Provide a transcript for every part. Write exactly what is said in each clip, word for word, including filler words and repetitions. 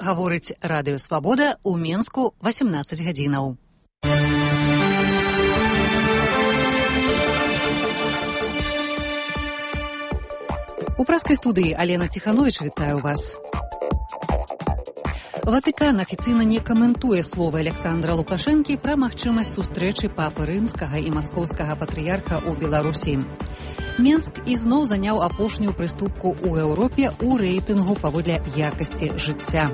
гаворыць Радыё Свабода ў Менску васемнаццаць гадзінаў. У праскай студыі Алена Ціханович, вітаю вас. Ватыкан афіцыйна не каментуе словы Александра Лукашэнкі пра магчымасць сустрэчы папы рымскага і маскоўскага патрыярха ў Беларусі. Менск ізноў заняў апошнюю прыступку ў Еўропе ў рэйтынгу паводле якасці жыцця.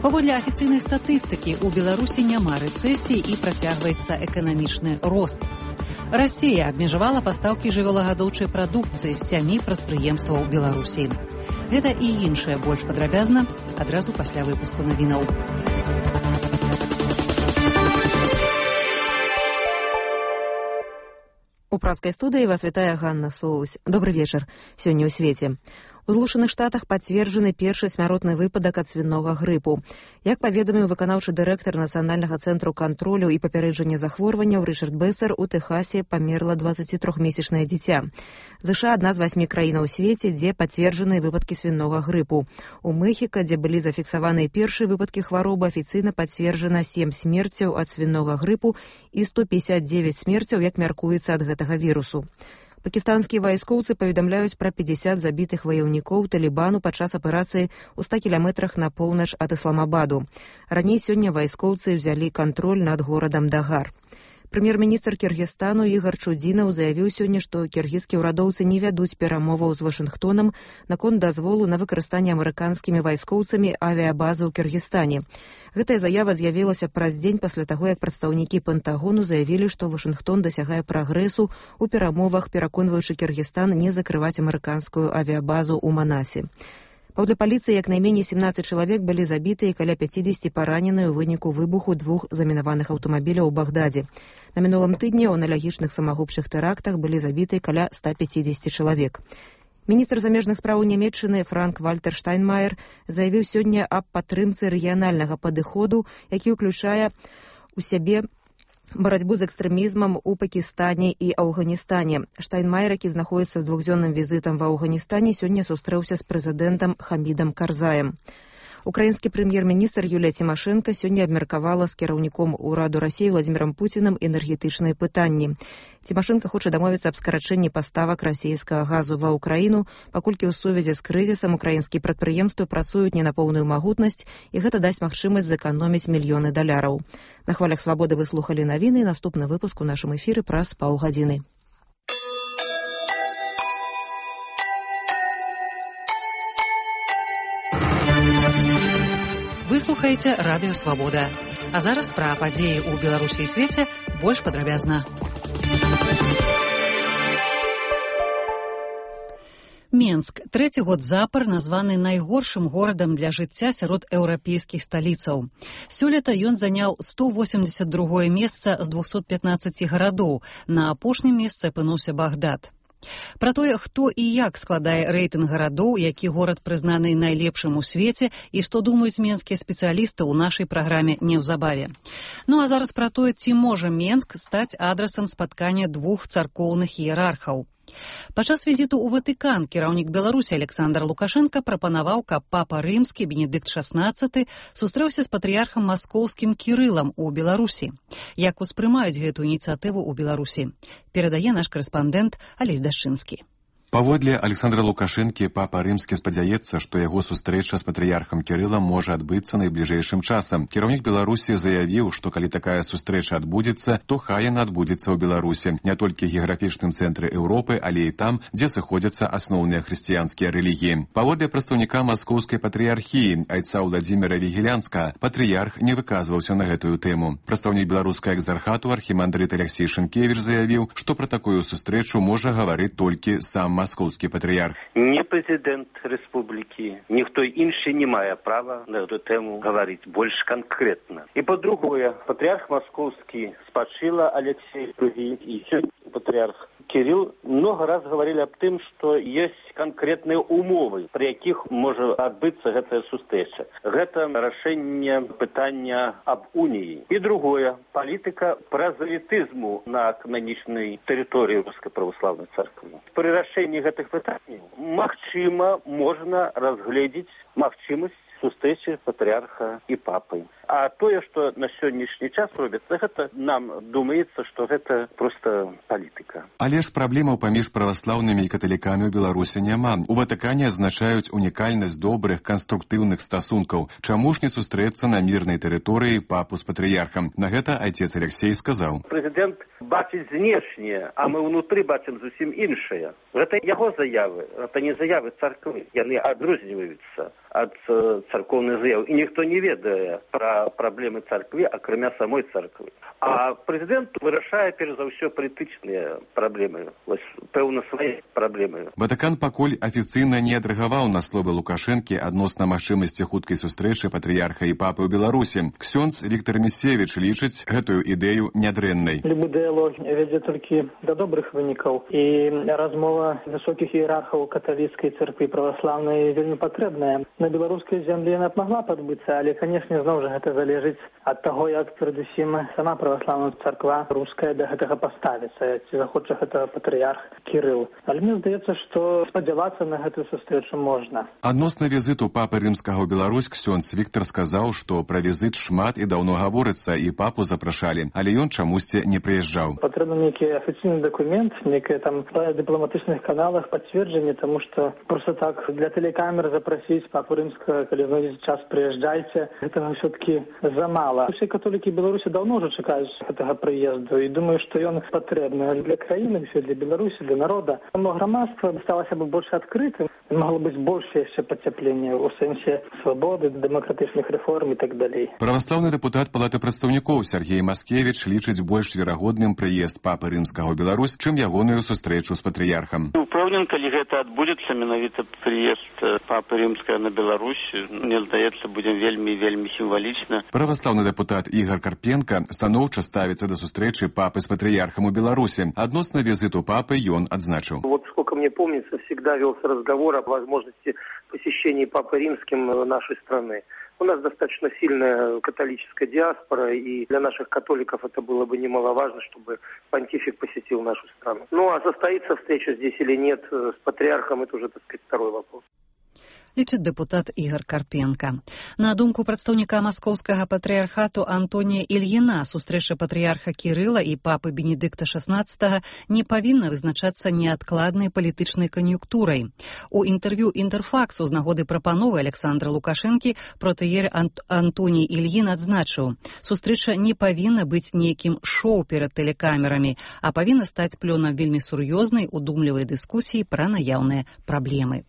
Паводле афіцыйнай статыстыкі ў Беларусі няма рэцэсіі і працягваецца эканамічны рост. Расія абмежавала пастаўкі жывёлагадоўчай прадукцыі з сямі прадпрыемстваў Беларусі. Гэта і іншае больш падрабязна адразу пасля выпуску навінаў. У праскай студыі вас вітае Ганна Соусь. Добры вечар. Сёння ў свеце. У Злучаных Штатах пацверджаны першы смяротны выпадак ад свінога грыпу. Як паведаміў выканаўчы дырэктар Нацыянальнага цэнтру кантролю і папярэджання захворванняў Рычард Бэсер, у Тэхасе памерла дваццацітрохмесячнае дзіця. ЗША адна з васьмі краін у свеце, дзе пацверджаныя выпадкі свінога грыпу. У Мэхіка, дзе былі зафіксаваныя першыя выпадкі хваробы, афіцыйна пацверджана сем смерцяў ад свінога грыпу і сто пятьдесят девять смерцяў, як мяркуецца, ад гэтага вірусу. Пакістанскія вайскоўцы паведамляюць пра пятьдесят забітых ваяўнікоў Талібану падчас аперацыі ў ста кіламетрах на поўнач ад Ісламабаду. Раней сёння вайскоўцы ўзялі кантроль над горадам Дагар. Прэм'ер-міністр Кіргізстану Ігар Чудзінаў заявіў сёння, што кіргізскія ўрадоўцы не вядуць перамоваў з Вашынгтонам наконт дазволу на выкарыстанне амерыканскімі вайскоўцамі авіябазы ў Кіргізстане. Гэтая заява з'явілася праз дзень пасля таго, як прадстаўнікі Пентагону заявілі, што Вашынгтон дасягае прагрэсу ў перамовах, пераконваючы Кіргізстан не закрываць амерыканскую авіябазу ў Манасе. Паводле паліцыі, як найменей семнаццаць чалавек былі забіты і каля пяцідзесяці параненыя ў выніку выбуху двух замінаваных аўтамабіляў у Багдадзе. На мінулым тыдні ў аналагічных самагубчых тэрактах былі забіты каля ста пяцідзесяці чалавек. Міністр замежных спраў Нямецчыны Франк-Вальтер Штайнмаер заявіў сёння аб падтрымцы рэгіянальнага падыходу, які ўключае ў сябе барацьбу з экстрэмізмам у Пакістане і Афганістане. Штайнмаер, які знаходіцца з двухдзённым візітам ва Афганістане, сёння сустрэўся з прэзідэнтам Хамідам Карзаем. Украінскі прэм'ер-міністр Юлія Цімашэнка сёння абмеркавала з кіраўніком ураду Расіі Владзімірам Пуцінам энергетычныя пытанні. Цімашэнка хоча дамовіцца аб скарачэнні паставак расійскага газу ва ўкраіну, паколькі ў сувязі з крызісам украінскія прадпрыемствы працуюць не на поўную магутнасць, і гэта дасць магчымасць зэканоміць мільёны даляраў. На хвалях Свабоды вы слухалі навіны, і наступны выпуск у нашым эфіры праз паўгадзіны. Вы слухаеце Радыё Свабода. А зараз пра падзеі ў Беларусі і свеце больш падрабязна. Менск трэці год запар названы найгоршым горадам для жыцця сярод еўрапейскіх сталіцаў. Сёлета ён заняў сто восемьдесят другое месца з двухсот пятнаццаці гарадоў. На апошнім месцы апынуўся Багдад. Пра тое, хто і як складае рэйтынг гарадоў, які горад прызнаны найлепшым у свеце і што думаюць менскія спецыялісты ў нашай праграме неўзабаве. Ну а зараз пра тое, ці можа Менск стаць адрасам спаткання двух царкоўных іерархаў. Падчас візіту ў Ватыкан кіраўнік Беларусі Александр Лукашэнка прапанаваў, каб папа рымскі Бенедыкт шаснаццаты сустрэўся з патрыярхам маскоўскім Кірылам у Беларусі. Як успрымаюць гэту ініцыятыву ў Беларусі? Перадае наш карэспандэнт Алесь Дашчынскі. Паводле Александра Лукашэнкі, папа рымскі спадзяецца, што яго сустрэча з патрыярхам Кірылам можа адбыцца найбліжэйшым часам. Кіраўнік Беларусі заявіў, што калі такая сустрэча адбудзецца, то хай яна адбудзецца ў Беларусі, не толькі геаграфічным цэнтры Еўропы, але і там, дзе сыходзяцца асноўныя хрысціянскія рэлігіі. Паводле прадстаўніка маскоўскай патрыярхіі айца Владзіміра Вігілянска, патрыярх не выказваўся на гэтую тэму. Прадстаўнік беларускага экзархату архімандрыт Аляксей Шынкевіч заявіў, што пра такую сустрэчу можа гаварыць толькі сам маскоўскі патрыярх. Не прэзідэнт рэспублікі, ніхто іншы не мае права на эту тэму гаварыць больш канкрэтна. І па-другое, патрыярх маскоўскі спачыла Алексей Другі і сёння патрыярх Кирилл много раз говорили об тым, что есть конкретные умовы, при якіх можа адбыцца гэтая сустрэча. Гэта рашэнне пытання аб уніі. І другое, палітыка празалітызму на кананічнай тэрыторыі Рускай праваслаўнай царквы. Пры рашэнні гэтых пытанняў магчыма можна разгледзець магчымасць сустрэчы патрыарха і папы. А тое, што на сённяшні час робіцца, гэта нам думаецца, што гэта проста палітыка. Але ж праблемаў паміж праваслаўнымі і каталікамі ў Беларусі няма. У Ватыкане адзначаюць унікальнасць добрых канструктыўных стасункаў. Чаму ж не сустрэцца на мірнай тэрыторыі папу з патрыярхам? На гэта отец Алексей сказаў. Прэзідэнт бачыць знешне, а мы ўнутры бачым зусім іншае. Гэта яго заявы, гэта не заявы царквы. Яны адрозніваюцца ад царкоўных заяў. І ніхто не ведае пра праблемы царквы, акрамя самой царквы. А прэзідэнт вырашае, перш за ўсё, палітычныя праблемы. Вось, пэўна, свае праблемы. Ватыкан пакуль афіцыйна не адрэагаваў на словы Лукашэнкі адносна магчымасці хуткай сустрэчы патрыярха і папы ў Беларусі. Ксёндз Віктор Місевіч лічыць гэтую ідэю нядрэннай. Любы дыялог вядзе толькі да добрых вынікаў. І размова высокіх іерархаў каталіцкай царквы праваслаўнай вельмі патрэбная. На беларускай зямлі яна б магла падбыцца, але, канешне, зноў жа гэта залежыць ад таго, як перадусім сама праваслаўная царква руская да гэтага паставіцца, ці захоча гэта патрыярх Кірыл. Але мне здаецца, што спадзявацца на гэтую сустрэчу можна. Адносна візіту папы рымскага ў Беларусь ксёндз Віктор сказаў, што пра візіт шмат і даўно гаворыцца, і папу запрашалі, але ён чамусьці не прыязджаў. Патрэбны нейкі афіцыйны дакумент, нейкае там па дыпламатычных каналах пацверджанне, таму што проста так для тэлекамер запрасіць папу рымскага, калі знойдзеце час, прыязджайце, гэтага ўсё-такі замала. Усе католікі Беларусі даўно ўжо чакаюць гэтага прыезду, і думаю, што ён патрэбны для краіны, для Беларусі, для народа. Само грамадства сталася бы больш адкрытым, магло быць больш яшчэ пацяпленне ў сэнсе свабоды, дэмакратычных рэформ і так далей. Праваслаўны дэпутат Палаты прадстаўнікоў Сергей Маскевіч лічыць больш верагодным прыезд папы рымскага ў Беларусь, чым ягоную сустрэчу з патрыярхам. Упэўнен, калі гэта адбудзецца, менавіта прыезд папы рымскага на Беларусь, мне здаецца, будзе вельмі вельмі сімвалічна. Праваслаўны дэпутат Ігор Карпенка станоўча ставіцца да сустрэчы папы з патрыярхам у Беларусі. Адносна візіту папы ён адзначыў. Вот сколько мне помнится, всегда велся разговор о возможности посещения папы римским нашей страны. У нас достаточно сильная католическая диаспора, и для наших католиков это было бы немаловажно, чтобы понтифик посетил нашу страну. Ну, а состоится встреча здесь или нет с патриархом, это уже, так сказать, второй вопрос. Лічыць дэпутат Ігор Карпенка. На думку прадстаўніка маскоўскага патрыярхату Антонія Ільіна, сустрэча патрыярха Кірыла і папы Бенедыкта шаснаццатага не павінна вызначацца неадкладнай палітычнай кан'юнктурай. У інтэрв'ю Інтэрфаксу з нагоды прапановы Александра Лукашэнкі протыер Ант Антоній Ільін адзначыў, сустрэча не павінна быць нейкім шоу перад тэлекамерамі, а павінна стаць плёнам вельмі сур'ёзнай, удумлівай дыскусіі пра наяўныя праблемы.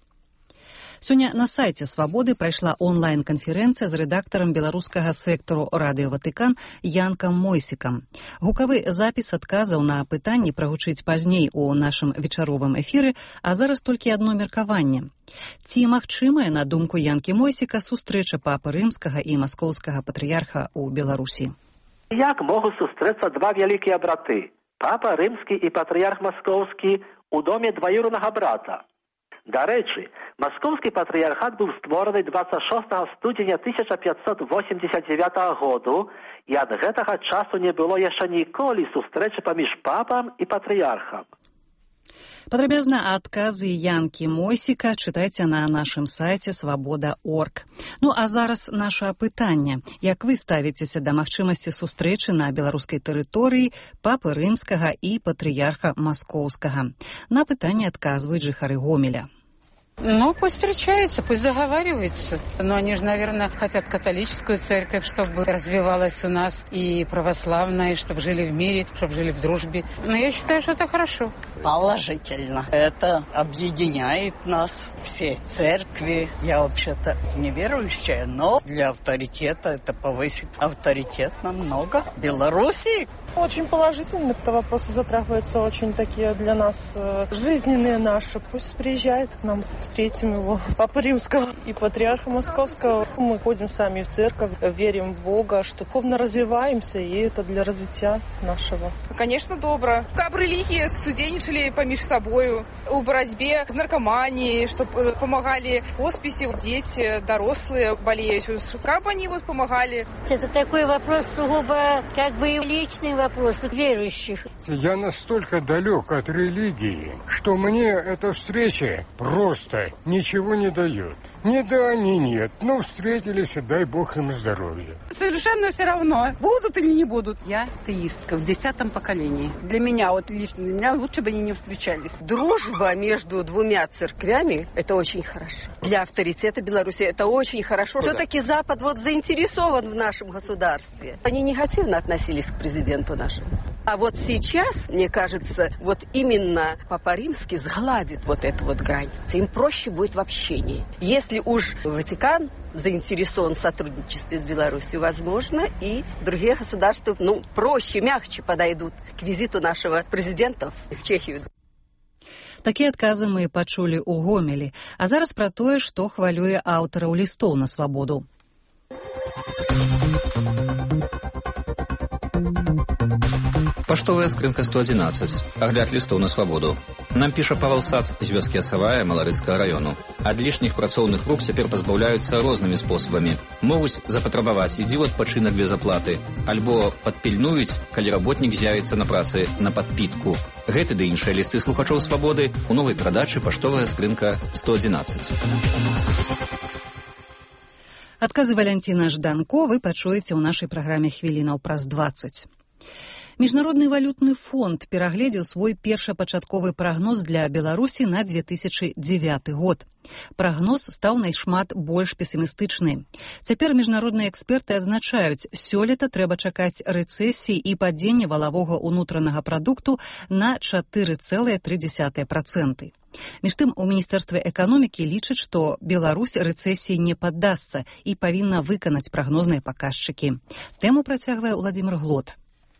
Сёння на сайце «Свабоды» прайшла онлайн-канферэнцыя з рэдактарам беларускага сектару радыё Ватыкан Янкам Мойсікам. Гукавы запіс адказаў на пытанні прагучыць пазней у нашым вечаровым эфіры, а зараз толькі адно меркаванне. Ці магчымая, на думку Янкі Мойсіка, сустрэча папы рымскага і маскоўскага патрыярха ў Беларусі? Як могуць сустрэцца два вялікія браты? Папа рымскі і патрыярх маскоўскі у доме дваюрнага брата. Дарэчы, маскоўскі патрыярхат быў створаны дваццаць шостага студзеня тысяча пятьсот восемьдесят девятого году, і ад гэтага часу не было яшчэ ніколі сустрэчы паміж папам і патрыярхам. Падрабязна адказы Янкі Мойсіка чытайце на нашым сайце свабода точка орг. Ну а зараз наша пытанне. Як вы ставіцеся да магчымасці сустрэчы на беларускай тэрыторыі папы рымскага і патрыярха маскоўскага? На пытанне адказваюць жыхары Гомеля. Ну, пусть встречаются, пусть заговариваются. Но они же, наверное, хотят католическую церковь, чтобы развивалась у нас, и православная, и чтобы жили в мире, чтобы жили в дружбе. Но я считаю, что это хорошо. Положительно. Это объединяет нас, все церкви. Я вообще-то неверующая, но для авторитета это повысит авторитет намного. В Беларуси. Очень положительно, это вопросы затрагиваются очень такие для нас э, жизненные наши. Пусть приезжает к нам, встретим его, Папу Римского и Патриарха Московского. Мы ходим сами в церковь, верим в Бога, что духовно развиваемся, и это для развития нашего. Конечно, добро. Как религии судейничали поміж собою у борьбе с наркоманией, чтобы помогали в хосписе, дети, дорослые болеют, как бы они вот помогали. Это такой вопрос сугубо как бы личный вопрос. вопросы верующих. Я настолько далек от религии, что мне эта встреча просто ничего не дает. Ни да, ни нет. Ну, встретились, и дай Бог им здоровья. Совершенно все равно, будут или не будут. Я атеистка в десятом поколении. Для меня, вот лично для меня, лучше бы они не встречались. Дружба между двумя церквями – это очень хорошо. Для авторитета Беларуси это очень хорошо. Все-таки Запад вот заинтересован в нашем государстве. Они негативно относились к президенту нашему. А вот сейчас, мне кажется, вот именно Папа Римский сгладит вот эту вот грань. Им проще будет в общении. Если уж Ватикан заинтересован в сотрудничестве с Беларусью, возможно, и другие государства, ну, проще, мягче подойдут к визиту нашего президента в Чехию. Такія адказы мы пачулі ў Гомелі. А зараз пра тое, што хвалюе аўтараў лістоў на свабоду. Паштовая скрынка сто одиннадцать. Агляд лістоў на свабоду. Нам піша Павел Сац з вёскі Асавая Маларыцкага району. Ад лішніх працоўных рук цяпер пазбаўляюцца рознымі спосабамі. Могуць запатрабаваць ідзі ў адпачынак без аплаты, альбо падпільнуюць, калі работнік з'явіцца на працы на падпітку. Гэты ды іншыя лісты слухачоў свабоды у новай прадачы паштовая скрынка сто одиннадцать. Адказы Валянціна Жданко вы пачуеце ў нашай праграме хвілінаў праз дваццаць. Міжнародны валютны фонд перагледзеў свой першапачатковы прагноз для Беларусі на две тысячы дзевяты год. Прагноз стаў найшмат больш песімістычны. Цяпер міжнародныя эксперты адзначаюць, сёлета трэба чакаць рэцэсіі і падзення валавога ўнутранага прадукту на чатыры цэлых тры дзесятых працэнта. Між тым, у Міністэрстве эканомікі лічаць, што Беларусь рэцэсіі не паддасца і павінна выканаць прагнозныя паказчыкі. Тэму працягвае Уладзімір Глот.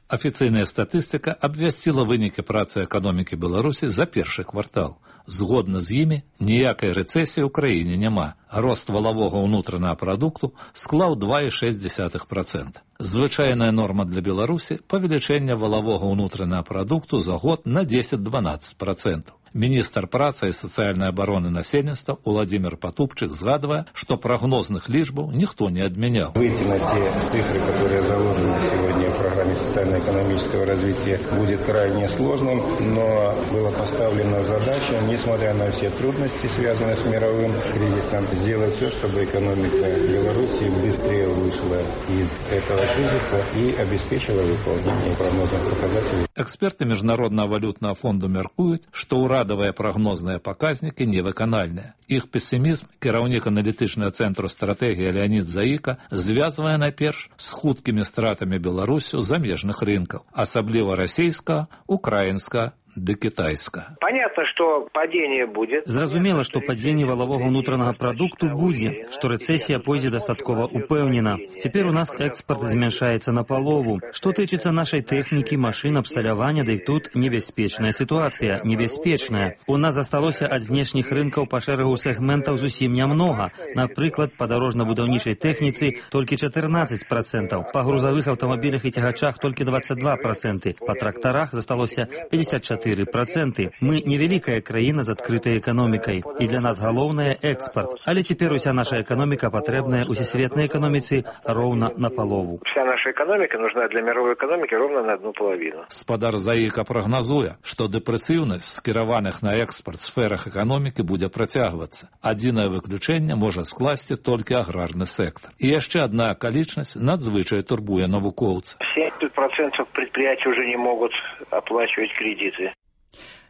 Афіцыйная статыстыка абвясціла вынікі працы эканомікі Беларусі за першы квартал. Згодна з імі, ніякай рэцэсіі ў краіне няма. Рост валавога ўнутранага прадукту склаў два цэлых шэсць дзесятых працэнта. Звычайная норма для Беларусі – павелічэнне валавога ўнутранага прадукту за год на дзесяць-дванаццаць працэнтаў. Міністр працы і сацыяльнай абароны насельніцтва Уладзімір Патупчык згадвае, што прагнозных лічбаў ніхто не адмяняў. Выйти на те цифры, которые заложены сегодня в программе социально-экономического развития, будет крайне сложным, но была поставлена задача, несмотря на все трудности, связанные с мировым кризисом, сделать все, чтобы экономика Беларуси быстрее вышла из этого кризиса и обеспечила выполнение прогнозных показателей. Эксперты Міжнароднага валютнага фонду мяркуюць, што ўрадавыя прагнозныя паказнікі невыканальныя. Іх песімізм кіраўнік аналітычнага цэнтру стратэгіі Леонід Заіка звязвае найперш з хуткімі стратамі Беларусю замежных рынкаў, асабліва расійскага, украінскага ды китайскага. Понятно, что падение будет. Зразумела, што падзенне валавога ўнутранага прадукту будзе, што рэцэсія пойдзе дастаткова упэўнена. Цяпер у нас экспорт змяншаецца на палову. Што тычыцца нашай тэхнікі, машын, абсталявання, дык тут небяспечная сітуацыя, небяспечная. У нас засталося ад знешніх рынкаў па шэрагу сегментаў зусім нямнога. Напрыклад, па дарожна-будаўнічай тэхніцы толькі чатырнаццаць працэнтаў, па грузавых аўтамабілях і цягачах толькі дваццаць два працэнты, па трактарах засталося пятьдесят четыре процента. Мы невеликая краіна з адкрытай эканомікай, і для нас галоўнае экспорт. Але цяпер уся наша эканоміка патрэбная усесветнай эканоміцы роўна на палову. Вся наша экономика нужна для мировой экономики ровно на одну половину. Спадар Заіка прагназуе, што дэпрэсіўнасць скіраваных на экспорт сферах эканомікі будзе працягвацца. Адзінае выключэнне можа скласці толькі аграрны сектор. І яшчэ адна акалічнасць надзвычай турбуе навукоўца. семьдесят процентов предприятий уже не могут оплачивать кредиты.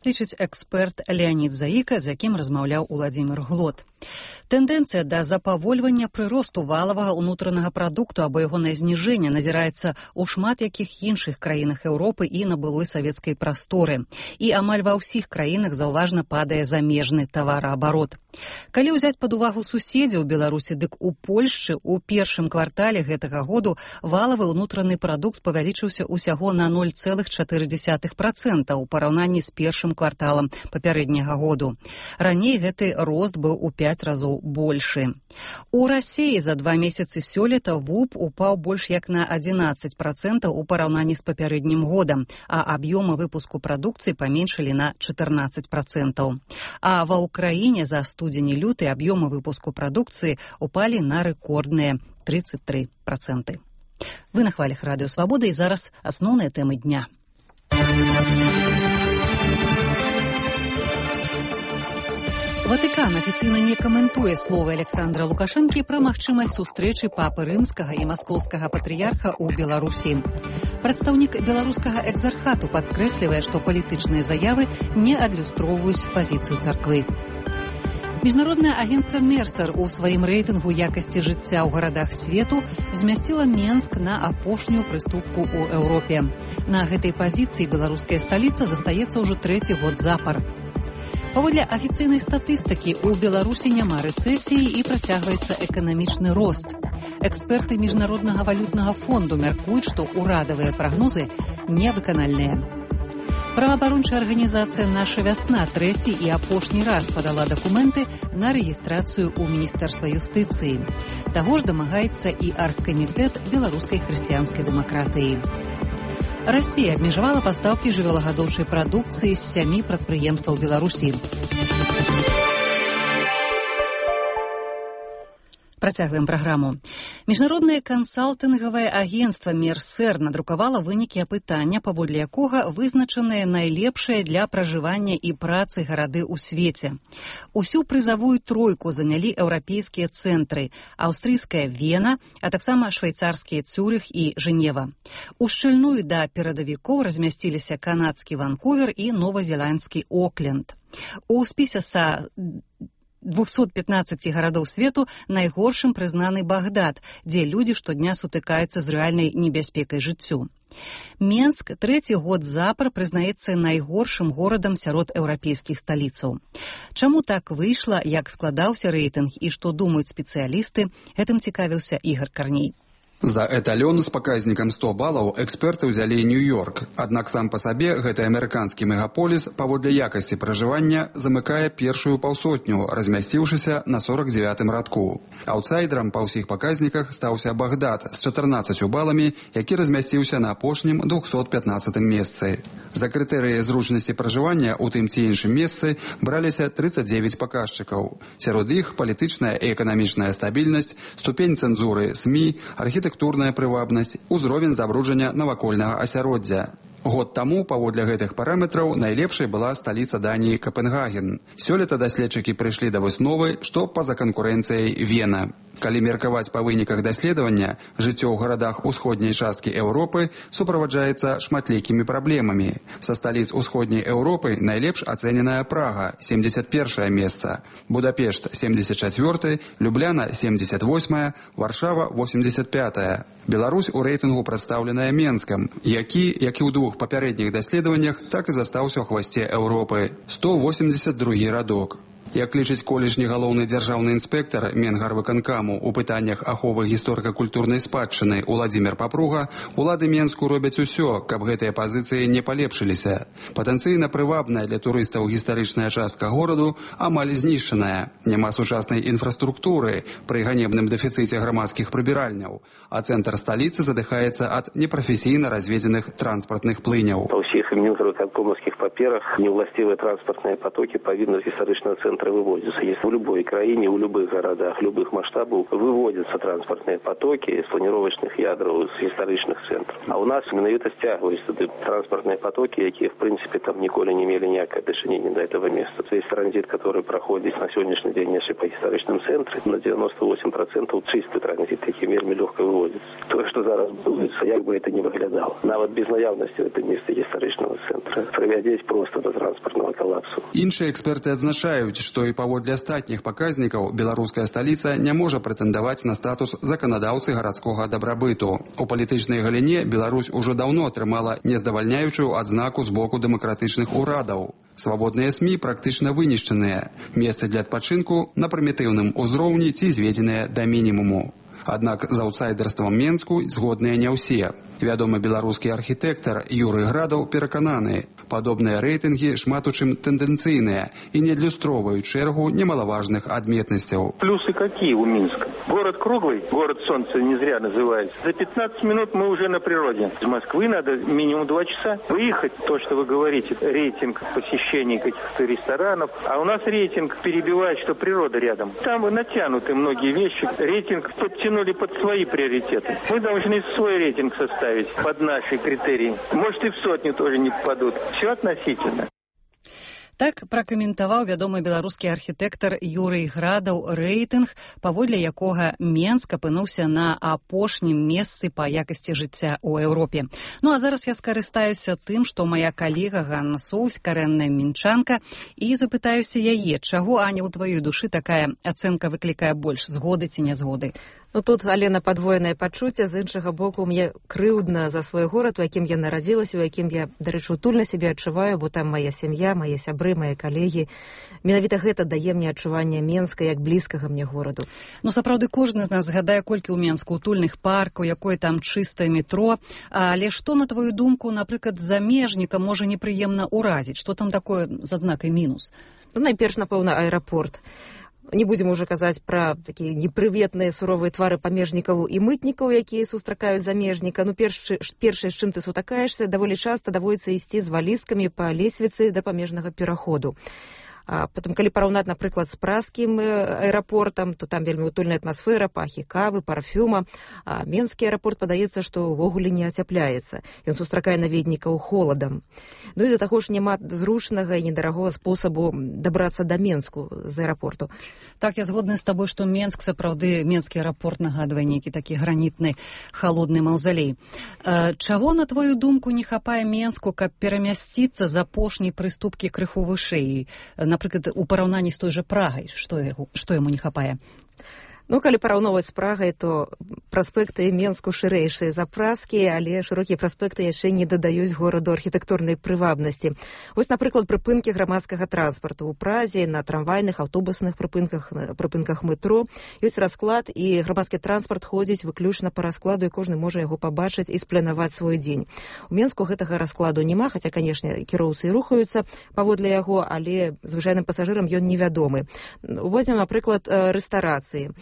Лічыць эксперт Леонід Заіка, з якім размаўляў Уладзімір Глот. Тэндэнцыя да запавольвання прыросту валавага ўнутранага прадукту або ягонае зніжэнне назіраецца ў шмат якіх іншых краінах Еўропы і на былой савецкай прасторы. І амаль ва ўсіх краінах заўважна падае замежны тавараабарот. Калі ўзяць пад увагу суседзяў Беларусі, дык у Польшчы ў першым квартале гэтага году валавы ўнутраны прадукт павялічыўся ўсяго на ноль цэлых чатыры дзесятых працэнта ў параўнанні з першым кварталам папярэдняга году. Раней гэты рост быў у пяць разоў большы. У Расіі за два месяцы сёлета ВУП упаў больш як на адзінаццаць працэнтаў у параўнанні з папярэднім годам, а аб'ёмы выпуску прадукцыі паменшылі на чатырнаццаць працэнтаў. А ва ўкраіне за студзень і люты аб'ёмы выпуску прадукцыі упалі на рэкордныя тридцать три процента. Вы на хвалях Радыё Свабода, і зараз асноўныя тэмы дня. Ватыкан афіцыйна не каментуе словы Александра Лукашэнкі пра магчымасць сустрэчы папы рымскага і маскоўскага патрыярха ў Беларусі. Прадстаўнік беларускага экзархату падкрэслівае, што палітычныя заявы не адлюстроўваюць пазіцыю царквы. Міжнароднае агенцтва Мерсер у сваім рэйтынгу якасці жыцця ў гарадах свету змясціла Менск на апошнюю прыступку ў Еўропе. На гэтай пазіцыі беларуская сталіца застаецца ўжо трэці год запар. Паводле афіцыйнай статыстыкі, у Беларусі няма рэцэсіі і працягваецца эканамічны рост. Эксперты Міжнароднага валютнага фонду мяркуюць, што ўрадавыя прагнозы невыканальныя. Праваабарончая арганізацыя «Наша вясна» трэці і апошні раз падала дакументы на рэгістрацыю ў Міністэрства юстыцыі. Таго ж дамагаецца і аргкамітэт беларускай хрысціянскай дэмакратыі. Расія абмежавала пастаўкі жывёлагадоўчай прадукцыі з сямі прадпрыемстваў Беларусі. Працягваем праграму. Міжнароднае кансалтынгавае агенцтва Мерсер надрукавала вынікі апытання, паводле якога вызначаныя найлепшыя для пражывання і працы гарады ў свеце. Усю прызавую тройку занялі еўрапейскія цэнтры: аўстрыйская Вена, а таксама швейцарскія Цюрых і Жэнева. У шчыльную да перадавікоў размясціліся канадскі Ванкувер і новазеландскі Окленд. У спісе са двухсот пятнадцати гарадоў свету найгоршым прызнаны Багдад, дзе людзі штодня сутыкаюцца з рэальнай небяспекай жыццю. Менск трэці год запар прызнаецца найгоршым горадам сярод еўрапейскіх сталіцаў. Чаму так выйшла, як складаўся рэйтынг і што думаюць спецыялісты, гэтым цікавіўся Ігор Карней. За эталён з паказнікам сто балаў эксперты ўзялі Нью-Йорк. Аднак сам па сабе гэты амерыканскі мегаполіс паводле якасці пражывання замыкае першую паўсотню, размясціўшыся на сорок дзевятым радку. Аўтсайдерам па ўсіх паказніках стаўся Багдад з чатырнаццаццю баламі, які размясціўся на апошнім двухсот пятнаццатым месцы. За крытэрыі зручнасці пражывання ў тым ці іншым месцы браліся трыццаць дзевяць паказчыкаў. Сярод іх палітычная і эканамічная стабільнасць, ступень цэнзуры СМІ, архітэктурная прывабнасць, узровень забруджання навакольнага асяроддзя. Год таму, паводле гэтых параметраў, найлепшай была сталіца Даніі Капенгаген. Сёлета даследчыкі прыйшлі да высновы, што па-за канкурэнцыяй Вена. Калі меркаваць па выніках даследавання, жыццё ў гарадах усходняй часткі Еўропы суправаджаецца шматлікімі праблемамі. Са сталіц усходняй Еўропы найлепш ацэненая Прага – семьдесят першае месца, Будапешт – семьдесят чацвёртае, Любляна – семьдесят восьмае, Варшава – восемьдесят пятае. Беларусь у рэйтынгу прадстаўленая Менскам, які, як і ў двух папярэдніх даследаваннях, так і застаўся ў хвасце Еўропы – сто восемьдесят другі радок. Як лічыць колішні галоўны дзяржаўны інспектар Менгарвыканкаму у пытаннях аховы гісторыка-культурнай спадчыны Уладзімір Папруга, улады Менску робяць усё, каб гэтыя пазіцыі не палепшыліся. Патэнцыйна прывабная для турыстаў гістарычная частка гораду амаль знішчаная. Няма сучаснай інфраструктуры пры ганебным дэфіцыце грамадскіх прыбіральняў, а цэнтр сталіцы задыхаецца ад непрафесійна разведзеных транспартных плыняў. Па ўсіх мінгарвыканкомаўскіх паперах неўласцівыя транспартныя потокі павінны з гістарычнага цэнтра выводятся. Если в любой краине, в любых городах, любых масштабах выводятся транспортные потоки из планировочных ядров, из историчных центров. А у нас менавіта стягиваются транспортные потоки, которые, в принципе, там николи не имели никакого отношения до этого места. Весь транзит, который проходит на сегодняшний день, если по историчным центрам, на девяносто восемь процентов чистый транзит, таким вельми легко выводится. То, что зараз будуется, как бы это ни выглядало. Нават без наявности в этом месте историчного центра приводить просто до транспортного коллапса. Іншыя эксперты адзначаюць, што і паводле астатніх паказнікаў беларуская сталіца не можа прэтэндаваць на статус заканадаўцы гарадскога дабрабыту. У палітычнай галіне Беларусь ужо даўно атрымала нездавальняючую адзнаку з боку дэмакратычных урадаў. Свабодныя СМІ практычна вынішчаныя. Месцы для адпачынку на прымітыўным узроўні ці зведзеныя да мінімуму. Аднак з аўтсайдерствам Менску згодныя не ўсе. Вядомы беларускі архітэктар Юрый Градаў перакананы, падобныя рэйтынгі шмат у чым тэндэнцыйныя і не адлюстроўваюць шэрагу немалаважных адметнасцяў. Плюсы какие у Минска? Город круглый, город солнца не зря называется. За пятнадцать минут мы уже на природе. Из Москвы надо минимум два часа выехать. То, что вы говорите, рейтинг посещений каких-то ресторанов. А у нас рейтинг перебивает, что природа рядом. Там натянуты многие вещи. Рейтинг подтянули под свои приоритеты. Мы должны свой рейтинг составить под наши критерии. Может, и в сотню тоже не попадут. Все относительно. Так пракаментаваў вядомы беларускі архітэктар Юрый Градаў рэйтынг, паводле якога Менск апынуўся на апошнім месцы па якасці жыцця ў Еўропе. Ну а зараз я скарыстаюся тым, што мая калега Ганна Соўсь, карэнная мінчанка, і запытаюся яе, чаго, Аня, у тваёй душы такая ацэнка выклікае больш, згоды ці нязгоды? Ну, тут, Алена, падвоенае пачуцце, з іншага боку, мне крыўдна за свой горад, у якім я нарадзілася, у якім я, дарэчы, утульна сябе адчуваю, бо там мая сям'я, мае сябры, мае калегі. Менавіта гэта дае мне адчуванне Менска як блізкага мне гораду. Ну, сапраўды, кожны з нас згадае, колькі ў Менску утульных паркаў, якое там чыстае метро. Але што, на твою думку, напрыклад, замежніка можа непрыемна ўразіць? Што там такое з адзнакай мінус? Ну, найперш, напэўна, аэрапорт. Не будзем уже казаць пра такія непрыветныя суровыя твары памежнікаў і мытнікаў, якія сустракаюць замежніка. Ну, першае, першае, з чым ты сутыкаешся, даволі часта даводіцца ісці з валізкамі па лесвіцы да памежнага пераходу. А потым, калі параўнаць, напрыклад, з празскім аэрапортам, то там вельмі утульная атмасфера, пахі кавы, парфюма. А менскі аэрапорт, падаецца, што ўвогуле не ацяпляецца. Ён сустракае наведнікаў холадам. Ну і да таго ж няма зручнага і недарагога спосабу дабрацца да Менску з аэрапорту. Так, я згодна з табой, што Менск, сапраўды, менскі аэрапорт нагадвае нейкі такі гранітны, халодны маўзалей. Чаго, на твою думку, не хапае Менску, каб перамясціцца з апошняй прыступкі крыху вышэй? Напрыклад, у параўнанні з той жа Прагай, што, яго, што яму не хапае? Ну, калі параўноўваць з Прагай, то праспекты Менску шырэйшыя за празскія, але шырокія праспекты яшчэ не дадаюць гораду архітэктурнай прывабнасці. Вось, напрыклад, прыпынкі грамадскага транспарту. У Празе на трамвайных, аўтобусных прыпынках, прыпынках метро ёсць расклад, і грамадскі транспарт ходзіць выключна па раскладу, і кожны можа яго пабачыць і спланаваць свой дзень. У Менску гэтага раскладу няма, хаця, канешне, кіроўцы рухаюцца паводле яго, але звычайным пасажырам ён невядомы. Возьмем, напрыклад, рэстарацыі.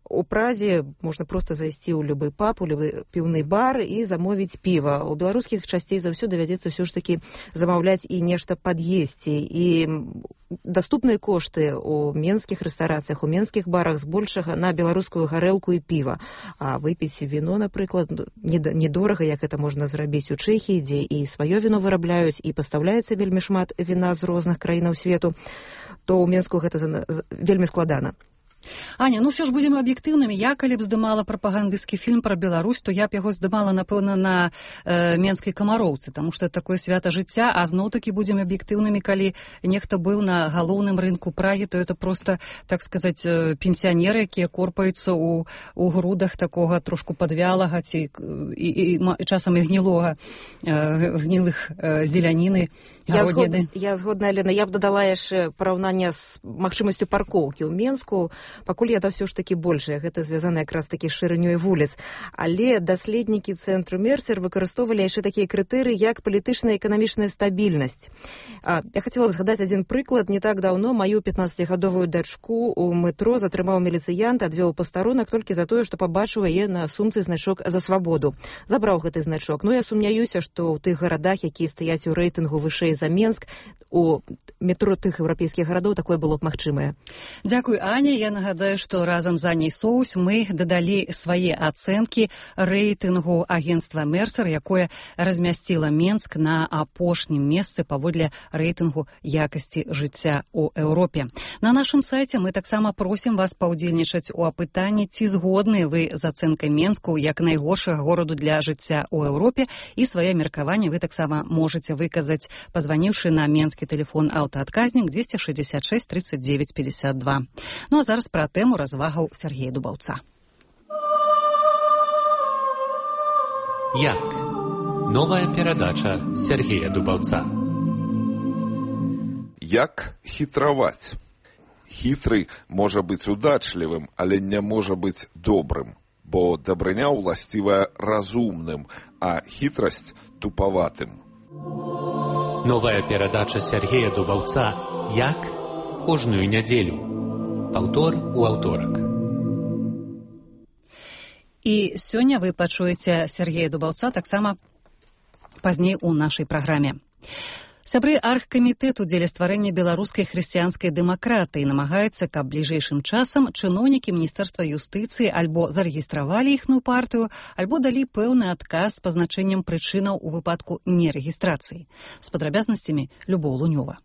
У Празе можна проста зайсці ў любы паб, у любы піўны бар і замовіць піва. У беларускіх часцей за ўсё давядзецца ўсё ж такі замаўляць і нешта пад'есці. І даступныя кошты у менскіх рэстарацыях, у менскіх барах збольшага на беларускую гарэлку і піва. А выпіць віно, напрыклад, недорага, як гэта можна зрабіць у Чэхіі, дзе і сваё віно вырабляюць, і пастаўляецца вельмі шмат віна з розных краінаў свету, то ў Менску гэта вельмі складана. Аня, ну все ж будем аб'ектыўнымі. Я, калі б здымала прапагандысцкі фільм пра Беларусь, то я б яго здымала, напэўна, на э, Менскай камароўцы, таму што это такое свята жыцця, а зноў-такі будем аб'ектыўнымі, калі нехта быў на галоўным рынку Прагі, то это просто, так сказаць, пенсіянеры, якія корпаюцца ў, у грудах такога трошку падвялага ці і, і, і часам і гнілога, э, гнілых э, зеляніны, гародніны. Я згодна, Алена, я б дадала яшчэ параўнанне з магчымасцю паркоўкі ў Менску. Пакуль яда ўсё ж такі большая, гэта звязана якраз такі з шырынёй вуліц. Але даследнікі цэнтру Мерсер выкарыстоўвалі яшчэ такія крытэрыі, як палітычная і эканамічная стабільнасць. А, я хацела б згадаць адзін прыклад. Не так даўно маю пятнаццацігадовую дачку ў метро затрымаў міліцыянт, адвёў пастарунак толькі за тое, што пабачыў яе на сумцы значок «За свабоду». Забраў гэты значок. Ну, я сумняюся, што ў тых гарадах, якія стаяць у рэйтынгу вышэй за Менск, у метро тых еўрапейскіх гарадоў такое было б магчымае. Дзякуй, Аня. Я нагадаю, што разам з Аняй Соўсь мы дадалі свае ацэнкі рэйтынгу агенцтва Мерсер, якое размясціла Менск на апошнім месцы паводле рэйтынгу якасці жыцця ў Еўропе. На нашым сайце мы таксама просім вас паўдзельнічаць у апытанні, ці згодны вы з ацэнкай Менску як найгоршага гораду для жыцця ў Еўропе, і свае меркаванні вы таксама можаце выказаць, пазваніўшы на менскі тэлефон аўтаадказнік двести шестьдесят шесть тридцать девять пятьдесят два. Ну а зараз пра тэму развагаў Сергея Дубаўца. Як? Новая перадача Сергея Дубаўца. Як хітраваць? Хітры можа быць удачлівым, але не можа быць добрым, бо дабрыня ўласцівая разумным, а хітрасць туповатым. Новая перадача Сергея Дубаўца «Як?» кожную нядзелю. Паўтор у аўторак. І сёння вы пачуеце Сергея Дубаўца таксама пазней у нашай праграме. Сябры аргкамітэту дзеля стварэння беларускай хрысціянскай дэмакратыі намагаюцца, каб бліжэйшым часам чыноўнікі міністэрства юстыцыі альбо зарэгістравалі іхную партыю, альбо далі пэўны адказ з пазначэннем прычынаў у выпадку нерэгістрацыі. З падрабязнасцямі Любоў Лунёва.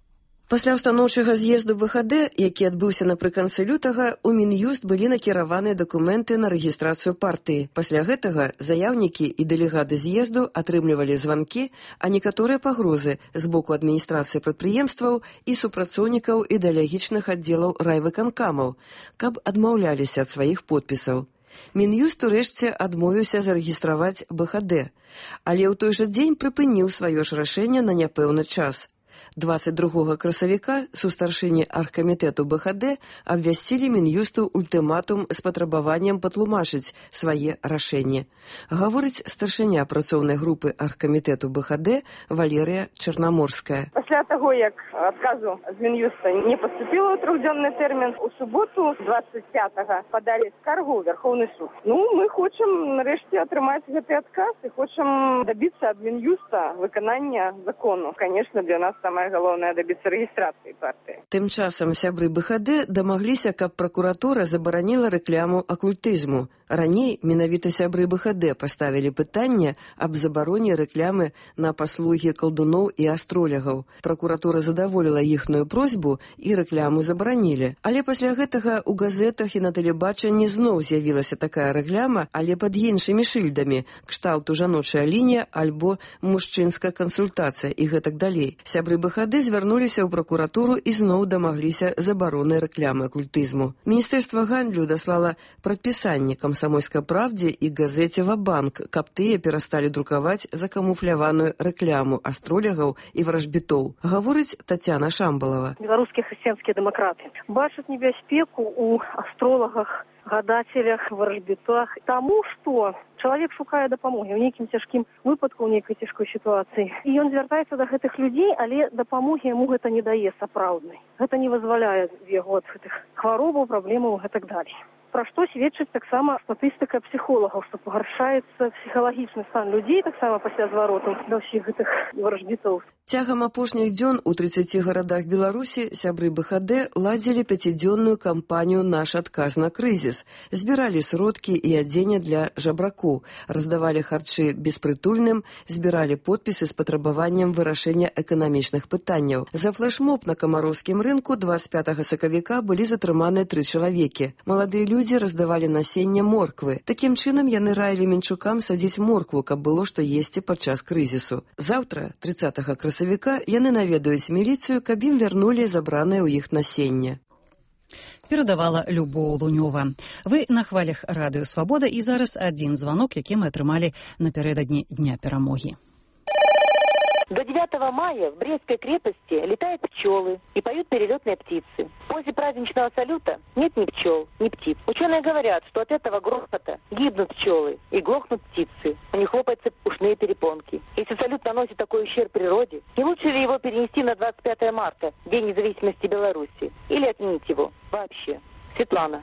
Пасля ўстаноўчага з'езду бэ ха дэ, які адбыўся напрыканцы лютага, у Мін'юст былі накіраваныя дакументы на рэгістрацыю партыі. Пасля гэтага заяўнікі і дэлегаты з'езду атрымлівалі званкі, а некаторыя пагрозы з боку адміністрацыі прадпрыемстваў і супрацоўнікаў ідэалагічных аддзелаў райвыканкамаў, каб адмаўляліся ад сваіх подпісаў. Мін'юст урэшце адмовіўся зарэгістраваць бэ ха дэ, але ў той жа дзень прыпыніў сваё ж рашэнне на няпэўны час. двадцать другога красавіка сустаршыні аргкамітэту бэ ха дэ абвясцілі Мін'юсту ультыматум з патрабаваннем патлумачыць свае рашэнні. Гаворыць старшыня працоўнай групы аргкамітэту бэ ха дэ Валерыя Чарнаморская. Пасля таго, як адказу з Мін'юста не паступіла ў трохдзённы тэрмін, у суботу двадцать пятага падалі скаргу ў Вярхоўны суд. Ну, мы хочам нарэшце атрымаць гэты адказ і хочам дабіцца ад Мін'юста выканання закону. Конечно, для нас самае галоўнае дабіцца рэгістрацыі партыі. Тым часам сябры бэ ха дэ дамагліся, каб пракуратура забараніла рэкляму акультызму. Раней менавіта сябры бэ ха дэ паставілі пытанне аб забароне рэклямы на паслугі калдуноў і астролягаў. Пракуратура задаволіла іхную просьбу і рэкляму забаранілі. Але пасля гэтага ў газетах і на тэлебачанні зноў з'явілася такая рэкляма, але пад іншымі шыльдамі, кшталту жаночая лінія альбо мужчынская кансультацыя і гэтак далей. Сябры бэ ха дэ звярнуліся ў пракуратуру і зноў дамагліся забароны рэклямы акультызму. Міністэрства гандлю даслала прадпісанне «Камсамольскай правдзе» і газеце «Ва-банк», каб тыя перасталі друкаваць закамуфляваную рэкляму астролягаў і варажбітоў. Гаворыць Тацяна Шамбалава. Беларускія хрысціянскія дэмакраты бачаць небяспеку ў астролагах, гадателях, варажбітах, таму, што чалавек шукае дапамогі ў нейкім цяжкім выпадку, ў нейкай цяжкой сітуацыі. І ён звяртаецца да гэтых людзей, але дапамогі яму гэта не дае сапраўднай. Гэта не вызваляе яго ад гэтых хваробаў, праблемаў і так далей. Пра што сведчыць таксама статыстыка псіхолагаў, што пагаршаецца псіхалагічны стан людзей таксама пасля звароту да ўсіх гэтых варажбітоў. Цягам апошніх дзён у трыццаці гарадах Беларусі сябры бэ ха дэ ладзілі пяцідзённую кампанію «Наш адказ на крызіс». Збіралі сродкі і адзенне для жабракоў, раздавалі харчы беспрытульным, збіралі подпісы з патрабаваннем вырашэння эканамічных пытанняў. За флэшмоб на камароўскім рынку двадцать пятага сакавіка былі затрыманыя тры чалавекі. Маладыя людзі раздавалі насенне морквы. Такім чынам яны раілі мінчукам садзіць моркву, каб было што есці падчас крызісу. Заўтра, трыццатага красавіка, яны наведаюць міліцыю, каб ім вярнулі забранае ў іх насенне. Перадавала Любоў Лунёва. Вы на хвалях радыё «Свабода» і зараз адзін званок, які мы атрымалі напярэдадні Дня перамогі. До девятого мая в Брестской крепости летают пчелы и поют перелетные птицы. После праздничного салюта нет ни пчел, ни птиц. Ученые говорят, что от этого грохота гибнут пчелы и глохнут птицы. У них лопаются ушные перепонки. Если салют наносит такой ущерб природе, не лучше ли его перенести на двадцать пятое марта, День независимости Беларуси, или отменить его вообще? Светлана.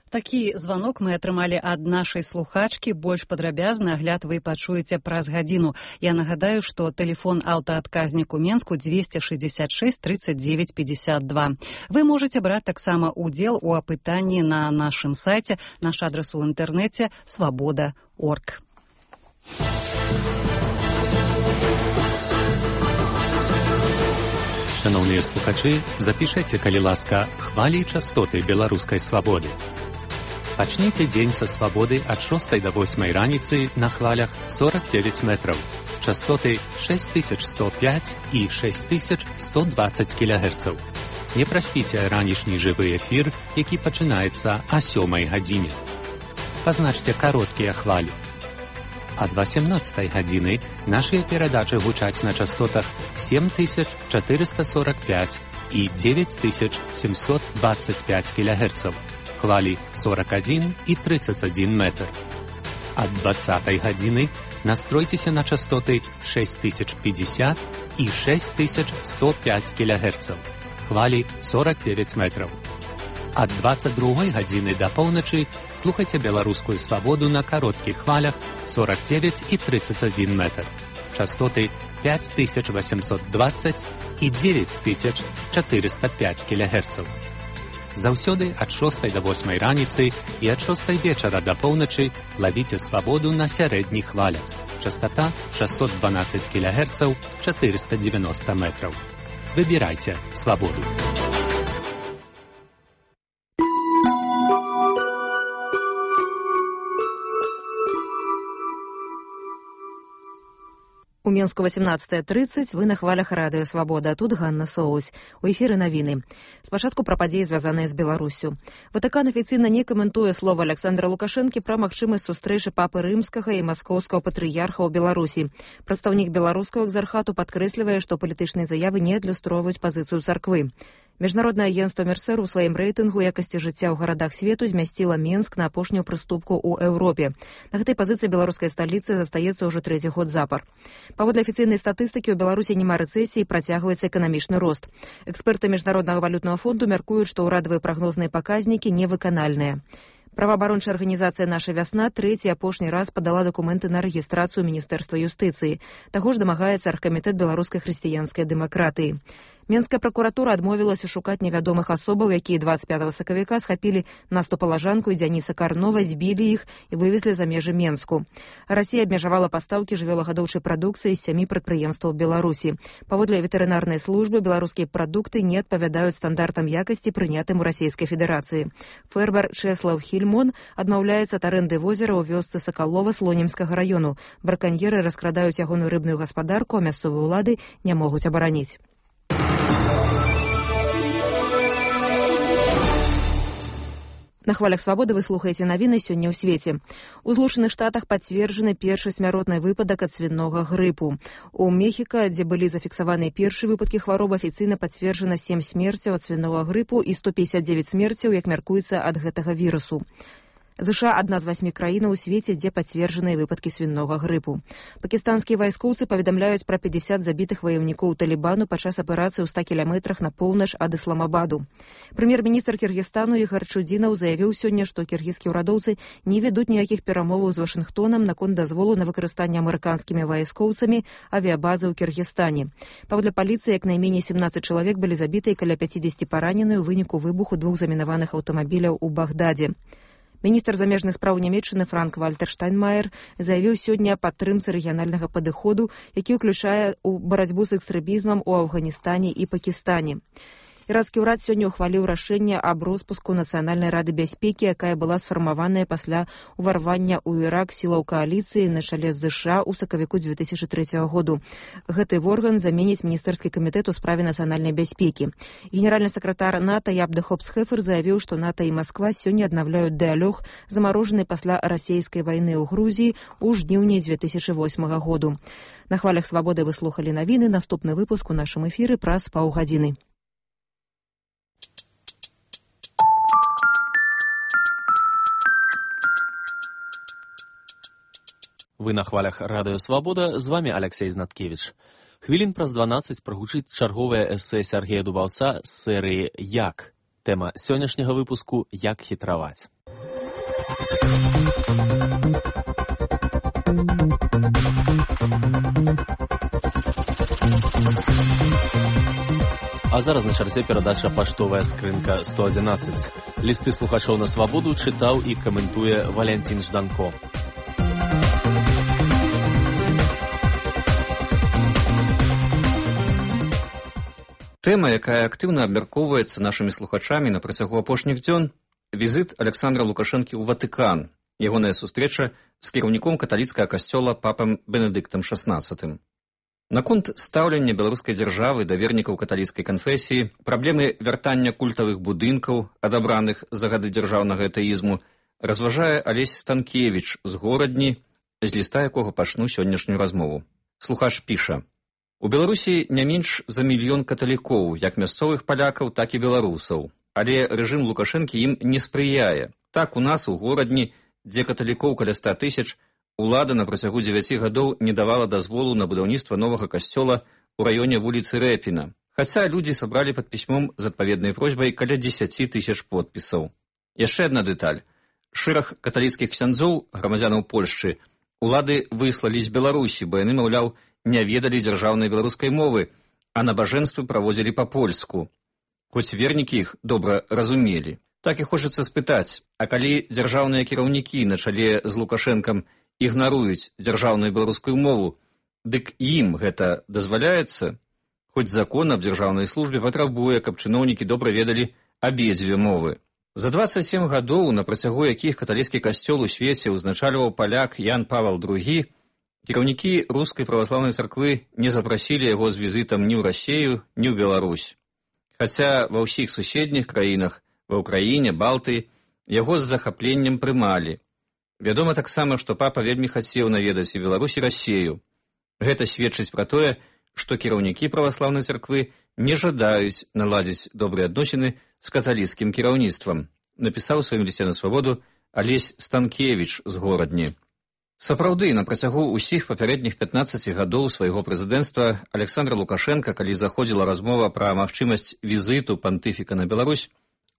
Такі званок мы атрымалі ад нашай слухачкі. Больш падрабязны агляд вы пачуеце праз гадзіну. Я нагадаю, што тэлефон аўтаадказнік у Менску двести шестьдесят шесть тридцать девять пятьдесят два. Вы можете браць таксама удзел у апытанні на нашым сайце. Наш адрас у інтэрнэце свабода точка орг. Шановныя слухачы, запішайце, калі ласка, хвалі і частоты беларускай свабоды. Пачніце дзень са свабоды ад шостай да восьмай раніцы на хвалях сорок девять метраў. Частоты шесть тысяч сто пять і шесть тысяч сто двадцать кілогерцаў. Не праспіце ранішні жывы эфір, які пачынаецца о сёмай гадзіне. Пазначце кароткія хвалі. Ад восемнадцатай гадзіны нашыя перадачы гучаць на частотах семь тысяч четыреста сорок пять і девять тысяч семьсот двадцать пять кілогерцаў. Хвалі сорок один і тридцать один метр. Ад двадцатай гадзіны настройцеся на частоты шесть тысяч пятьдесят і шесть тысяч сто пять кілогерцаў. Хвалі сорок девять метров. Ад двадцать другой гадзіны да поўначы слухайце беларускую свабоду на кароткіх хвалях сорок девять і тридцать один метр. Частоты пять тысяч восемьсот двадцать і девять тысяч четыреста пять кілогерцаў. Заўсёды ад шостай да восьмай раніцы і ад шостай вечара да поўначы лавіце свабоду на сярэдніх хвалях. Частота шестьсот двенадцать кілогерцаў, четыреста девяносто метров. Выбирайте свободу. У Менску восемнадцатая тридцать, вы на хвалях радыё «Свабода», а тут Ганна Соус. У эфіры навіны. Спачатку пра падзеі, звязаныя з Беларуссю. Ватыкан афіцыйна не каментуе слова Александра Лукашэнкі пра магчымасць сустрэчы папы рымскага і маскоўскага патрыярха ў Беларусі. Прадстаўнік беларускага экзархату падкрэслівае, што палітычныя заявы не адлюстроўваюць пазіцыю царквы. Міжнароднае агенцтва Мерсер у сваім рэйтынгу якасці жыцця ў гарадах свету змясціла Менск на апошнюю прыступку ў Еўропе. На гэтай пазіцыі беларускай сталіцы застаецца ўжо трэці год запар. Паводле афіцыйнай статыстыкі, ў Беларусі няма рэцэсіі, працягваецца эканамічны рост. Эксперты Міжнароднага валютнага фонду мяркуюць, што ўрадавыя прагнозныя паказнікі невыканальныя. Праваабарончая арганізацыя «Наша вясна» трэці апошні раз падала дакументы на рэгістрацыю Міністэрства юстыцыі. Таго ж дамагаецца аргкамітэт беларускай хрысціянскай дэмакратыі. Менская пракуратура адмовілася шукаць невядомых асобаў, якія двадцать пятага сакавіка схапілі Насту Палажанку і Дзяніса Карнова, збілі іх і вывезлі за межы Менску. Расія абмежавала пастаўкі жывёлагадоўчай прадукцыі з сямі прадпрыемстваў Беларусі. Паводле ветэрынарнай службы, беларускія прадукты не адпавядаюць стандартам якасці, прынятым у Расійскай Федэрацыі. Фермер Чэслаў Хільмон адмаўляецца ад арэнды возера ў вёсцы Сакалова Слонімскага раёну. Браканьеры раскрадаюць ягоную рыбную гаспадарку, а мясцовыя ўлады не могуць абараніць. На хвалях «Свабоды» вы слухаеце навіны сёння ў свеце. У Злучаных Штатах пацверджаны першы смяротны выпадак ад свінога грыпу. У Мехіка, дзе былі зафіксаваныя першыя выпадкі хваробы, афіцыйна пацверджана сем смерцяў ад свінога грыпу і сто пятьдесят девять смерцяў, як мяркуецца, ад гэтага вірусу. ЗША – адна з васьмі краінаў у свеце, дзе пацверджаныя выпадкі свінога грыпу. Пакістанскія вайскоўцы паведамляюць пра пятьдесят забітых ваяўнікоў Талібану падчас аперацыі ў ста кіламетрах на поўнач ад Ісламабаду. Прэм'ер-міністр Кіргізстану Ігар Чудзінаў заявіў сёння, што кіргізскія ўрадоўцы не вядуць ніякіх перамоваў з Вашынгтонам наконт дазволу на выкарыстанне амерыканскімі вайскоўцамі авіябазы ў Кіргізстане. Паводле паліцыі, як найменей семнадцать чалавек былі забіты і каля пятьдесят паранены ў выніку выбуху двух замінаваных аўтамабіляў у Багдадзе. Міністр замежных спраў Нямецчыны Франк-Вальтер Штайнмаер заявіў сёння аб падтрымцы рэгіянальнага падыходу, які ўключае ў барацьбу з экстрэмізмам у Афганістане і Пакістане. Іранскі ўрад сёння ўхваліў рашэнне аб роспуску Нацыянальнай рады бяспекі, якая была сфармаваная пасля ўварвання ў Ірак сілаў кааліцыі на чале з ЗША ў сакавіку две тысячи трэцяга году. Гэты орган заменіць міністэрскі камітэт у справе нацыянальнай бяспекі. Генеральны сакратар НАТО Ябде Хопс-Хефер заявіў, што НАТО і Масква сёння аднаўляюць дыялог, замарожаны пасля расійскай вайны ў Грузіі ў жніўні две тысячи восьмага году. На хвалях «Свабоды» вы слухалі навіны. Наступны выпуск у нашым эфіры праз паўгадзіны. Вы на хвалях радыё «Свабода», з вами Алексей Знаткевич. Хвілін праз дванаццаць прагучыць чарговае эсэ Сергея Дубаўца з серыі «Як?». Тэма сённяшняга выпуску «Як хітраваць?». А зараз на чарзе перадача «Паштовая скрынка сто адзінаццаць». Лісты слухачоў на «Свабоду» чытаў і каментуе Валянцін Жданко. Тэма, якая актыўна абмяркоўваецца нашымі слухачамі на працягу апошніх дзён – візіт Александра Лукашэнкі ў Ватыкан, ягоная сустрэча з кіраўніком каталіцкага касцёла папам Бенедыктам шаснаццатым. Наконт стаўлення беларускай дзяржавы да вернікаў каталіцкай канфесіі, праблемы вяртання культавых будынкаў, адабраных за гады дзяржаўнага атэізму, разважае Алесь Станкевіч з Горадні, з ліста якога пачну сённяшнюю размову. Слухач піша: у Беларусі не менш за мільён каталікоў, як мясцовых палякаў, так і беларусаў. Але рэжым Лукашэнкі ім не спрыяе. Так у нас у Горадні, дзе каталікоў каля ста тысяч, улада на працягу дзевяці гадоў не давала дазволу на будаўніцтва новага касцёла ў раёне вуліцы Рэпіна, хаця людзі сабралі пад пісьмом з адпаведнай просьбай каля дзесяці тысяч подпісаў. Яшчэ адна дэталь. Шэраг каталіцкіх ксяндзоў, грамадзянаў Польшчы, улады выслалі з Беларусі, бо яны, маўляў, не ведалі дзяржаўнай беларускай мовы, а набажэнствы праводзілі па-польску. Хоць вернікі іх добра разумелі. Так і хочацца спытаць, а калі дзяржаўныя кіраўнікі на чале з Лукашэнкам ігнаруюць дзяржаўную беларускую мову, дык ім гэта дазваляецца? Хоць закон аб дзяржаўнай службе патрабуе, каб чыноўнікі добра ведалі абедзве мовы. За дваццаць сем гадоў, на працягу якіх каталіцкі касцёл у свеце ўзначальваў паляк Ян Павел другі, кіраўнікі рускай праваслаўнай царквы не запрасілі яго з візітам ні ў Расею, ні ў Беларусь. Хаця ва ўсіх суседніх краінах, ва ўкраіне, Балтыі, яго з захапленнем прымалі. Вядома таксама, што папа вельмі хацеў наведаць і Беларусь, і Расею. Гэта сведчыць пра тое, што кіраўнікі праваслаўнай царквы не жадаюць наладзіць добрыя адносіны з каталіцкім кіраўніцтвам, напісаў у сваім лісце на свабоду Алесь Станкевіч з Горадні. Сапраўды, на працягу ўсіх папярэдніх пятнаццаці гадоў свайго прэзідэнцтва Александра Лукашенка, калі заходзіла размова пра магчымасць візіту пантыфіка на Беларусь,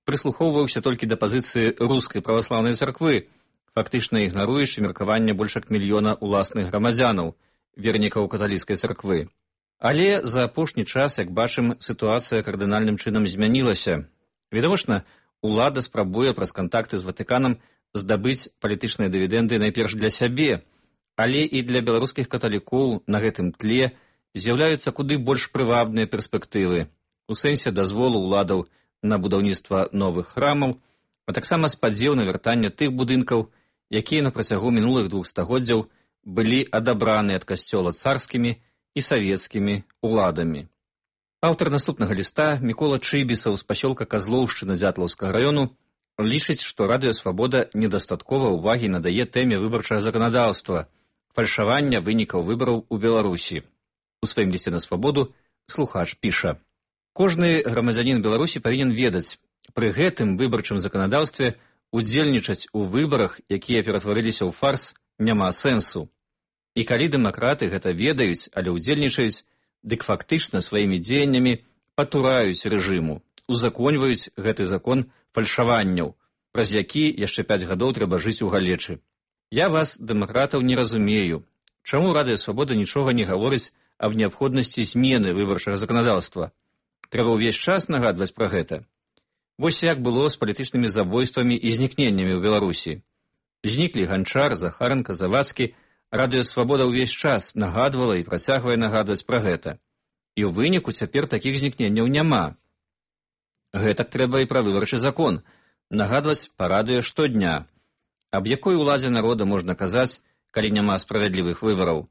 прыслухоўваўся толькі да пазіцыі рускай праваслаўнай царквы, фактычна ігнаруючы меркаванне больш як мільёна ўласных грамадзянаў, вернікаў каталіцкай царквы. Але за апошні час, як бачым, сітуацыя кардынальным чынам змянілася. Відавочна, улада спрабуе праз кантакты з Ватыканам здабыць палітычныя дывідэнды найперш для сябе, але і для беларускіх каталікоў на гэтым тле з'яўляюцца куды больш прывабныя перспектывы у сэнсе дазволу ўладаў на будаўніцтва новых храмаў, а таксама спадзеў на вяртанне тых будынкаў, якія на працягу мінулых двух стагоддзяў былі адабраны ад касцёла царскімі і савецкімі уладамі. Аўтар наступнага ліста, Мікола Чыбісаў з пасёлка Казлоўшчына Дзятлаўскага раёну, лічыць, што Радыё Свабода недастаткова ўвагі надае тэме выбарчага заканадаўства, фальшавання вынікаў выбараў у Беларусі. У сваім лісце на свабоду слухач піша: «Кожны грамадзянін Беларусі павінен ведаць, пры гэтым выбарчым заканадаўстве удзельнічаць у выбарах, якія ператварыліся ў фарс, няма сэнсу. І калі дэмакраты гэта ведаюць, але ўдзельнічаюць, дык фактычна сваімі дзеяннямі патураюць рэжыму, узаконьваюць гэты закон фальшаванняў, праз які яшчэ пяць гадоў трэба жыць у галечы. Я вас, дэмакратаў, не разумею. Чаму Радыё Свабода нічога не гаворыць аб неабходнасці змены выбарчага заканадаўства? Трэба ўвесь час нагадваць пра гэта. Вось як было з палітычнымі забойствамі і знікненнямі ў Беларусі. Зніклі Ганчар, Захаранка, Завадскі. Радыё Свабода ўвесь час нагадвала і працягвае нагадваць пра гэта. І ў выніку цяпер такіх знікненняў няма. Гэтак трэба і пра выбарчы закон, нагадваць па радыё штодня. Аб якой уладзе народа можна казаць, калі няма справядлівых выбараў?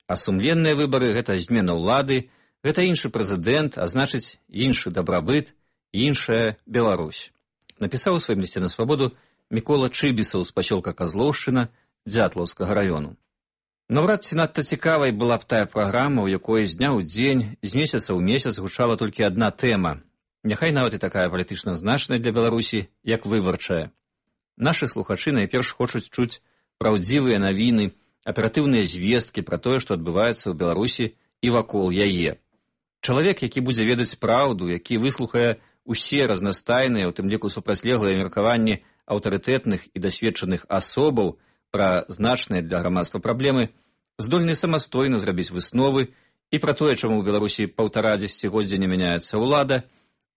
А сумленныя выбары — гэта змена ўлады, гэта іншы прэзідэнт, а значыць іншы дабрабыт, іншая Беларусь. Напісаў у сваім лісце на свабоду Мікола Чыбісаў з пасёлка Казлоўшчына Дзятлаўскага раёну. Наўрад ці надта цікавай была б тая праграма, у якой з дня ў дзень, з месяца ў месяц гучала толькі адна тэма. Няхай нават і такая палітычна значная для Беларусі, як выбарчая. Нашы слухачы найперш хочуць чуць праўдзівыя навіны, аператыўныя звесткі пра тое, што адбываецца ў Беларусі і вакол яе. Чалавек, які будзе ведаць праўду, які выслухае усе разнастайныя, у тым ліку супрацьлеглыя меркаванні аўтарытэтных і дасведчаных асобаў пра значныя для грамадства праблемы, здольны самастойна зрабіць высновы і пра тое, чаму ў Беларусі паўтара дзесяцігоддзя не мяняецца ўлада,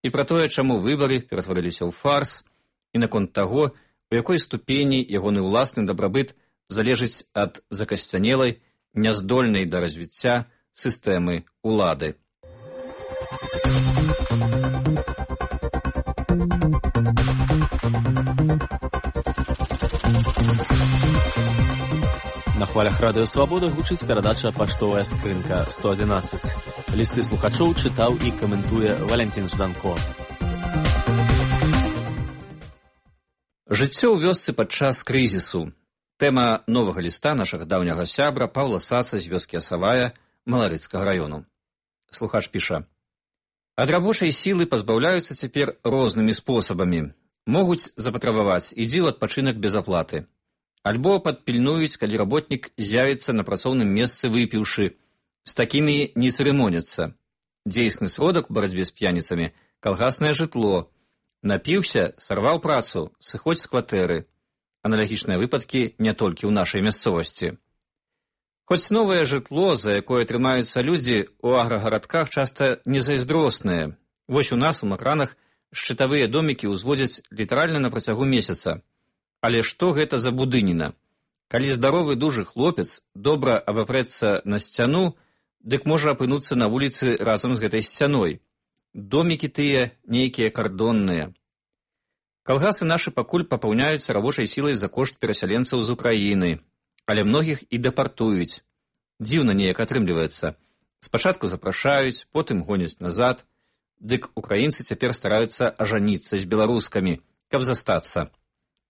і пра тое, чаму выбары ператварыліся ў фарс, і наконт таго, у якой ступені ягоны ўласны дабрабыт залежыць ад закасцянелай, няздольнай да развіцця сістэмы ўлады. На хвалях Радыё Свабода гучыць перадача «Паштовая скрынка сто адзінаццаць». Лісты слухачоў чытаў і каментуе Валянцін Жданко. Жыццё ў вёсцы падчас крызісу. Тэма новага ліста нашага даўняга сябра Паўла Саца з вёскі Асавая Маларыцкага раёну. Слухач піша: «Ад рабочай сілы пазбаўляюцца цяпер рознымі спосабамі. Могуць запатрабаваць «ідзі ў адпачынак без аплаты». Альбо падпільнуюць, калі работнік з'явіцца на працоўным месцы выпіўшы. З такімі не цырымоняцца. Дзейсны сродак у барацьбе з п'яніцамі – калгаснае жытло. Напіўся, сарваў працу, сыходзь з кватэры. Аналагічныя выпадкі не толькі ў нашай мясцовасці. Хоць новае жытло, за якое трымаюцца людзі, у аграгарадках часта незайздросныя. Вось у нас, у Макранах, шчытавыя домікі ўзводзяць літаральна на працягу месяца. Але што гэта за будыніна? Калі здаровы дужы хлопец добра абапрэцца на сцяну, дык можа апынуцца на вуліцы разам з гэтай сцяной. Домікі тыя нейкія кардонныя. Калгасы нашы пакуль папаўняюцца рабочай сілай за кошт перасяленцаў з Украіны, але многіх і дэпартуюць. Дзіўна неяк атрымліваецца. Спачатку запрашаюць, потым гоняць назад. Дык украінцы цяпер стараюцца ажаніцца з беларускамі, каб застацца.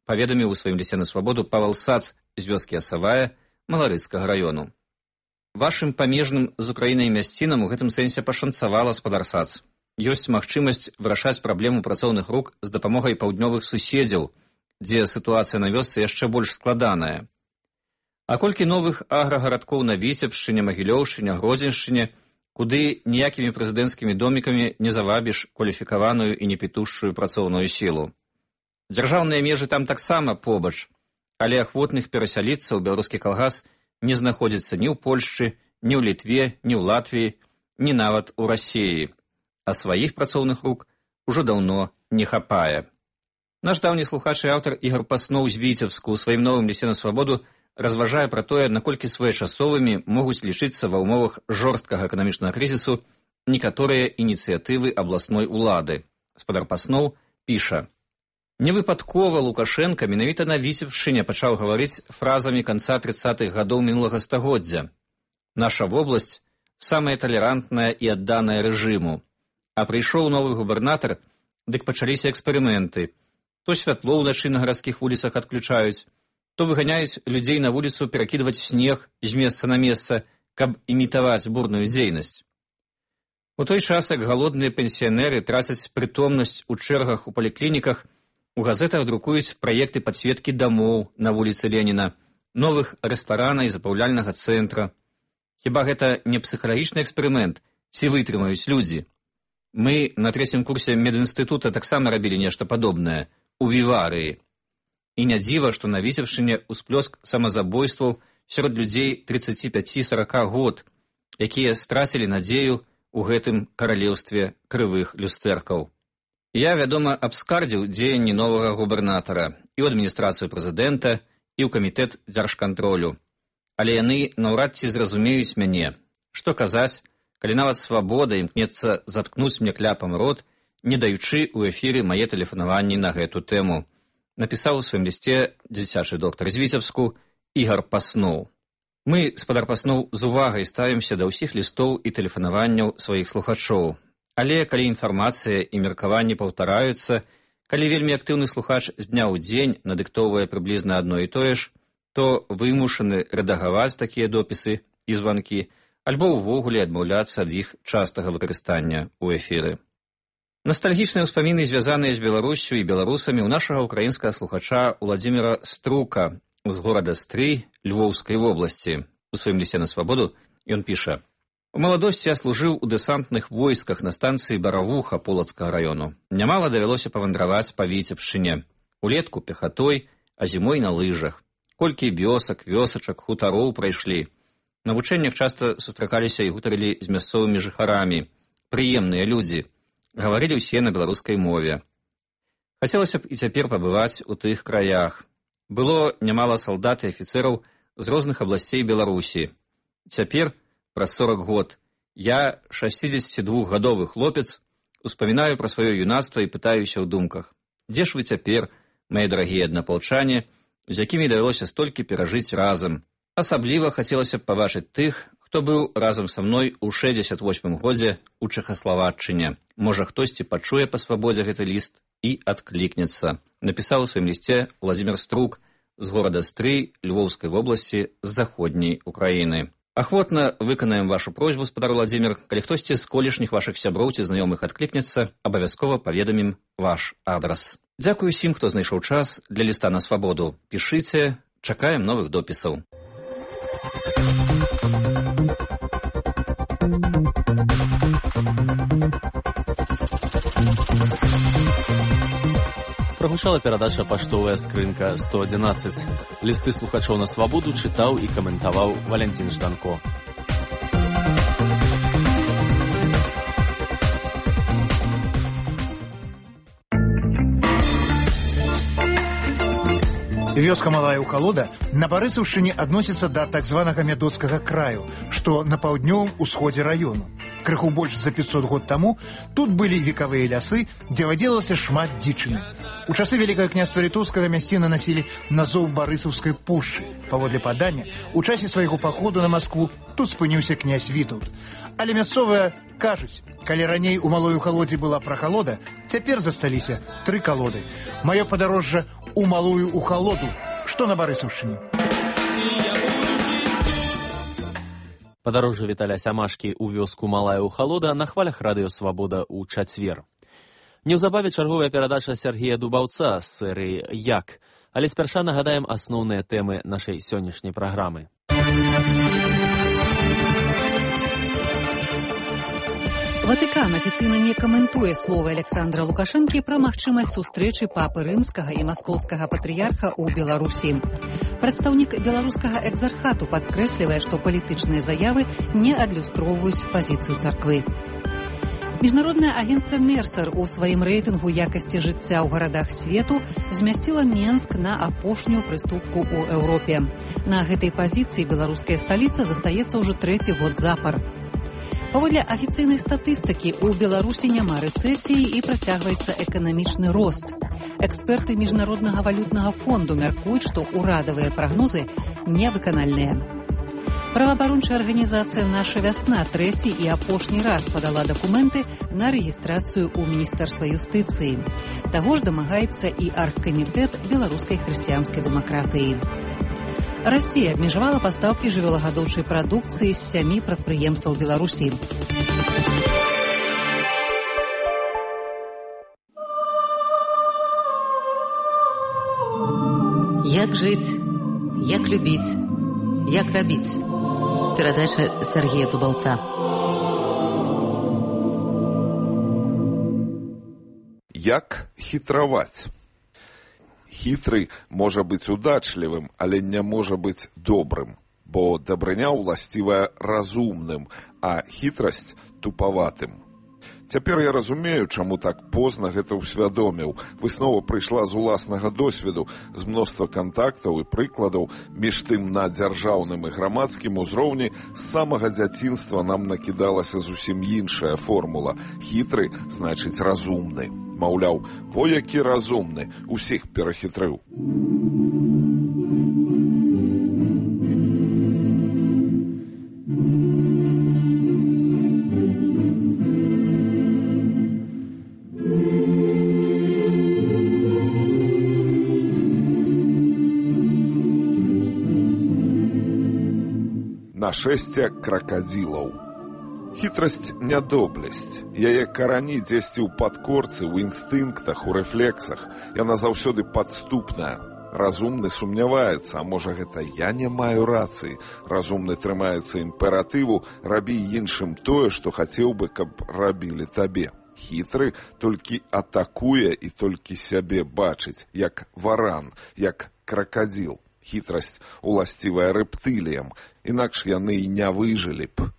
Паведаміў у сваім лісце на свабоду Павел Сац з вёскі Асавая Маларыцкага раёну. Вашым памежным з Украінай мясцінам у гэтым сэнсе пашанцавала, спадар Сац. Ёсць магчымасць вырашаць праблему працоўных рук з дапамогай паўднёвых суседзяў, дзе сітуацыя на вёсцы яшчэ больш складаная. А колькі новых аграгарадкоў на Віцебшчыне, Магілёўшчыне, Гродзеншчыне, куды ніякімі прэзідэнцкімі домікамі не завабіш кваліфікаваную і непітушчую працоўную сілу. Дзяржаўныя межы там таксама побач, але ахвотных перасяліцца ў беларускі калгас не знаходзіцца ні ў Польшчы, ні ў Літве, ні ў Латвіі, ні нават у Расіі. А сваіх працоўных рук ужо даўно не хапае. Наш даўні слухач і аўтар Ігар Пасноў з Віцебску ў сваім новым лісце на свабоду разважае пра тое, наколькі своечасовымі могуць лічыцца ва ўмовах жорсткага эканамічнага крызісу некаторыя ініцыятывы абласной улады. Спадар Пасноў піша: «Невыпадкова Лукашенка менавіта на Віцебшчыне пачаў гаварыць фразамі канца трыццатых гадоў мінулага стагоддзя. Наша вобласць самая талерантная і адданая рэжыму. А прыйшоў новы губернатар, дык пачаліся эксперыменты. То святло ўначы на гарадскіх вуліцах адключаюць, то выганяюць людзей на вуліцу перакідваць снег з месца на месца, каб імітаваць бурную дзейнасць. У той час, як галодныя пенсіянеры трацяць прытомнасць у чэргах у паліклініках, у газетах друкуюць праекты падсветкі дамоў на вуліцы Леніна, новых рэстарана і запаўляльнага цэнтра. Хіба гэта не псіхалагічны эксперымент, ці вытрымаюць людзі? Мы на трэцім курсе медінстытута таксама рабілі нешта падобнае, у Віварыі. І не дзіва, што на Віцебшчыне ўсплёск самазабойстваў сярод людзей трыццаці пяці сарака год, якія страцілі надзею ў гэтым каралеўстве крывых люстэркаў. Я, вядома, абскардзіў дзеянні новага губернатара і ў адміністрацыю прэзідэнта, і ў камітэт дзяржкантролю. Але яны наўрад ці зразумеюць мяне. Што казаць, калі нават свабода імкнецца заткнуць мне кляпам рот, не даючы ў эфіры мае тэлефанаванні на гэту тэму. Напісаў у сваім лісце дзіцячы доктар з Віцебску Ігар Пасноў. Мы, спадар Пасноў, з увагай ставімся да ўсіх лістоў і тэлефанаванняў сваіх слухачоў. Але калі інфармацыя і меркаванні паўтараюцца, калі вельмі актыўны слухач з дня ў дзень надыктоўвае прыблізна адно і тое ж, то вымушаны рэдагаваць такія допісы і званкі, альбо ўвогуле адмаўляцца ад іх частага выкарыстання ў эфіры. Настальгічныя ўспаміны, звязаныя з Беларуссю і беларусамі, у нашага украінскага слухача Уладзіміра Струка з горада Стрый Львоўскай вобласці. У сваім лісце на свабоду ён піша: «У маладосці я служыў у дэсантных войсках на станцыі Баравуха Полацкага раёну. Нямала давялося павандраваць па Віцебшчыне. Улетку пехатой, а зімой на лыжах. Колькі вёсак, вёсачак, хутароў прайшлі. На вучэннях часта сустракаліся і гутарылі з мясцовымі жыхарамі. Прыемныя людзі. Гаварылі ўсе на беларускай мове. Хацелася б і цяпер пабываць у тых краях. Было нямала салдат і афіцэраў з розных абласцей Беларусі. Цяпер, праз сорак год, я, шасцідзесяцідвухгадовы хлопец, успамінаю пра сваё юнацтва і пытаюся ў думках: дзе ж вы цяпер, мае дарагія аднаполчане, з якімі давялося столькі перажыць разам? Асабліва хацелася б пабачыць тых, хто быў разам са мной у шэсцьдзесят восьмым годзе ў Чэхаславаччыне. Можа, хтосьці пачуе па свабодзе гэты ліст і адклікнецца», напісаў у сваім лісце Уладзімір Струк з горада Стрый Львоўскай вобласці з заходняй Украіны. Ахвотна выканаем вашу просьбу, спадар Уладзімір. Калі хтосьці з колішніх вашых сяброў ці знаёмых адклікнецца, абавязкова паведамім ваш адрас. Дзякую усім, хто знайшоў час для ліста на свабоду. Пішыце, Чакаем новых допісаў. Прагучала перадача «Паштовая скрынка сто адзінаццаць». Лісты слухачоў на свабоду чытаў і каментаваў Валянцін Жданко. Вёска Малая Ухалода на Барысаўшчыне адносіцца да так званага мядоцкага краю, што на паўднёвым усходзе раёну. Крыху больш за пятьсот год таму тут былі векавыя лясы, дзе вадзілася шмат дзічыны. У часы Вялікага княства Літоўскага мясціны насілі назоў Барысаўскай пушчы. Паводле падання, у часе свайго паходу на Маскву тут спыніўся князь Вітаўт. Але мясцовыя кажуць, калі раней у Малой Ухалодзе была прахалода, цяпер засталіся тры калоды. Маё падарожжа у Малую Ухалоду, што на Барысаўшчыне. Падарожжа Віталя Сямашкі ў вёску Малая Ухалода на хвалях радыё «Свабода» ў чацвер. Неўзабаве чарговая перадача Сергея Дубаўца з серыі «Як?». Але спярша нагадаем асноўныя тэмы нашай сённяшняй праграмы. Ватыкан афіцыйна не каментуе словы Александра Лукашэнкі пра магчымасць сустрэчы папы рымскага і маскоўскага патрыярха ў Беларусі. Прадстаўнік беларускага экзархату падкрэслівае, што палітычныя заявы не адлюстроўваюць пазіцыю царквы. Міжнароднае агенцтва Мерсер у сваім рэйтынгу якасці жыцця ў гарадах свету змясціла Менск на апошнюю прыступку ў Еўропе. На гэтай пазіцыі беларуская сталіца застаецца ўжо трэці год запар. Паводле афіцыйнай статыстыкі, у Беларусі няма рэцэсіі і працягваецца эканамічны рост. Эксперты Міжнароднага валютнага фонду мяркуюць, што ўрадавыя прагнозы невыканальныя. Праваабарончая арганізацыя «Наша вясна» трэці і апошні раз падала дакументы на рэгістрацыю ў Міністэрства юстыцыі. Таго ж дамагаецца і аргкамітэт беларускай хрысціянскай дэмакратыі. Расія абмежавала пастаўкі жывёлагадоўчай прадукцыі з сямі прадпрыемстваў Беларусі. Як жыць, як любіць, як рабіць. Перадача Сергея Дубаўца. Як хітраваць? Хітры можа быць удачлівым, але не можа быць добрым, бо дабрыня ўласцівая разумным, а хітрасць тупаватым. Цяпер я разумею, чаму так позна гэта ўсвядоміў. Выснова прыйшла з уласнага досведу, з мноства кантактаў і прыкладаў, між тым на дзяржаўным і грамадскім узроўні з самага дзяцінства нам накідалася зусім іншая формула. Хітры значыць разумны. Маўляў, во які разумны, усіх перахітрыў. Нашэсце кракадзілаў. Хітрасць – нядоблесць. Яе карані дзесьці ў падкорцы, у інстынктах, у рэфлексах. Яна заўсёды падступная. Разумны сумняваецца, а можа гэта я не маю рацыі. Разумны трымаецца імператыву, рабі іншым тое, што хацеў бы, каб рабілі табе. Хітры толькі атакуе і толькі сябе бачыць, як варан, як кракадзіл. Хітрасць уласцівая рэптыліям, інакш яны і не выжылі б.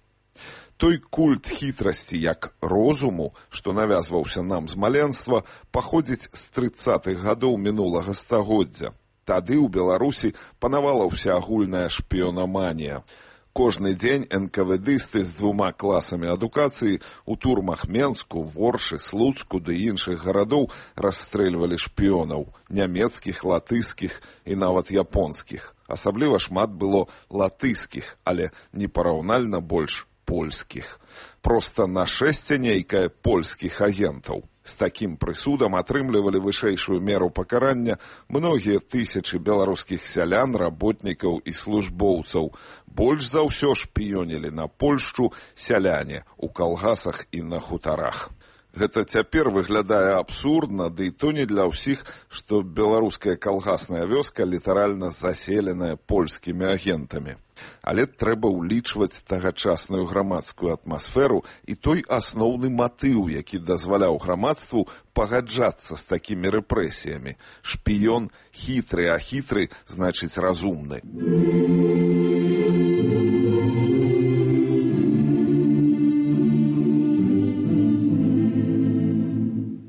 Той культ хітрасці як розуму, што навязваўся нам з маленства, паходзіць з трыццатых гадоў мінулага стагоддзя. Тады ў Беларусі панавала ўсеагульная шпіёнаманія. Кожны дзень эн ка вэ дысты з двума класамі адукацыі у турмах Менску, Воршы, Слуцку ды іншых гарадоў расстрэльвалі шпіёнаў, нямецкіх, латыскіх і нават японскіх. Асабліва шмат было латыскіх, але непараўнальна больш польскіх. Проста нашэсце нейкае польскіх агентаў. З такім прысудам атрымлівалі вышэйшую меру пакарання многія тысячы беларускіх сялян, работнікаў і службоўцаў. Больш за ўсё шпіёнілі на Польшчу сяляне ў калгасах і на хутарах. Гэта цяпер выглядае абсурдна, ды і то не для ўсіх, што беларуская калгасная вёска літаральна заселеная польскімі агентамі. Але трэба ўлічваць тагачасную грамадскую атмасферу і той асноўны матыў, які дазваляў грамадству пагаджацца з такімі рэпрэсіямі. Шпіён хітры, а хітры значыць разумны.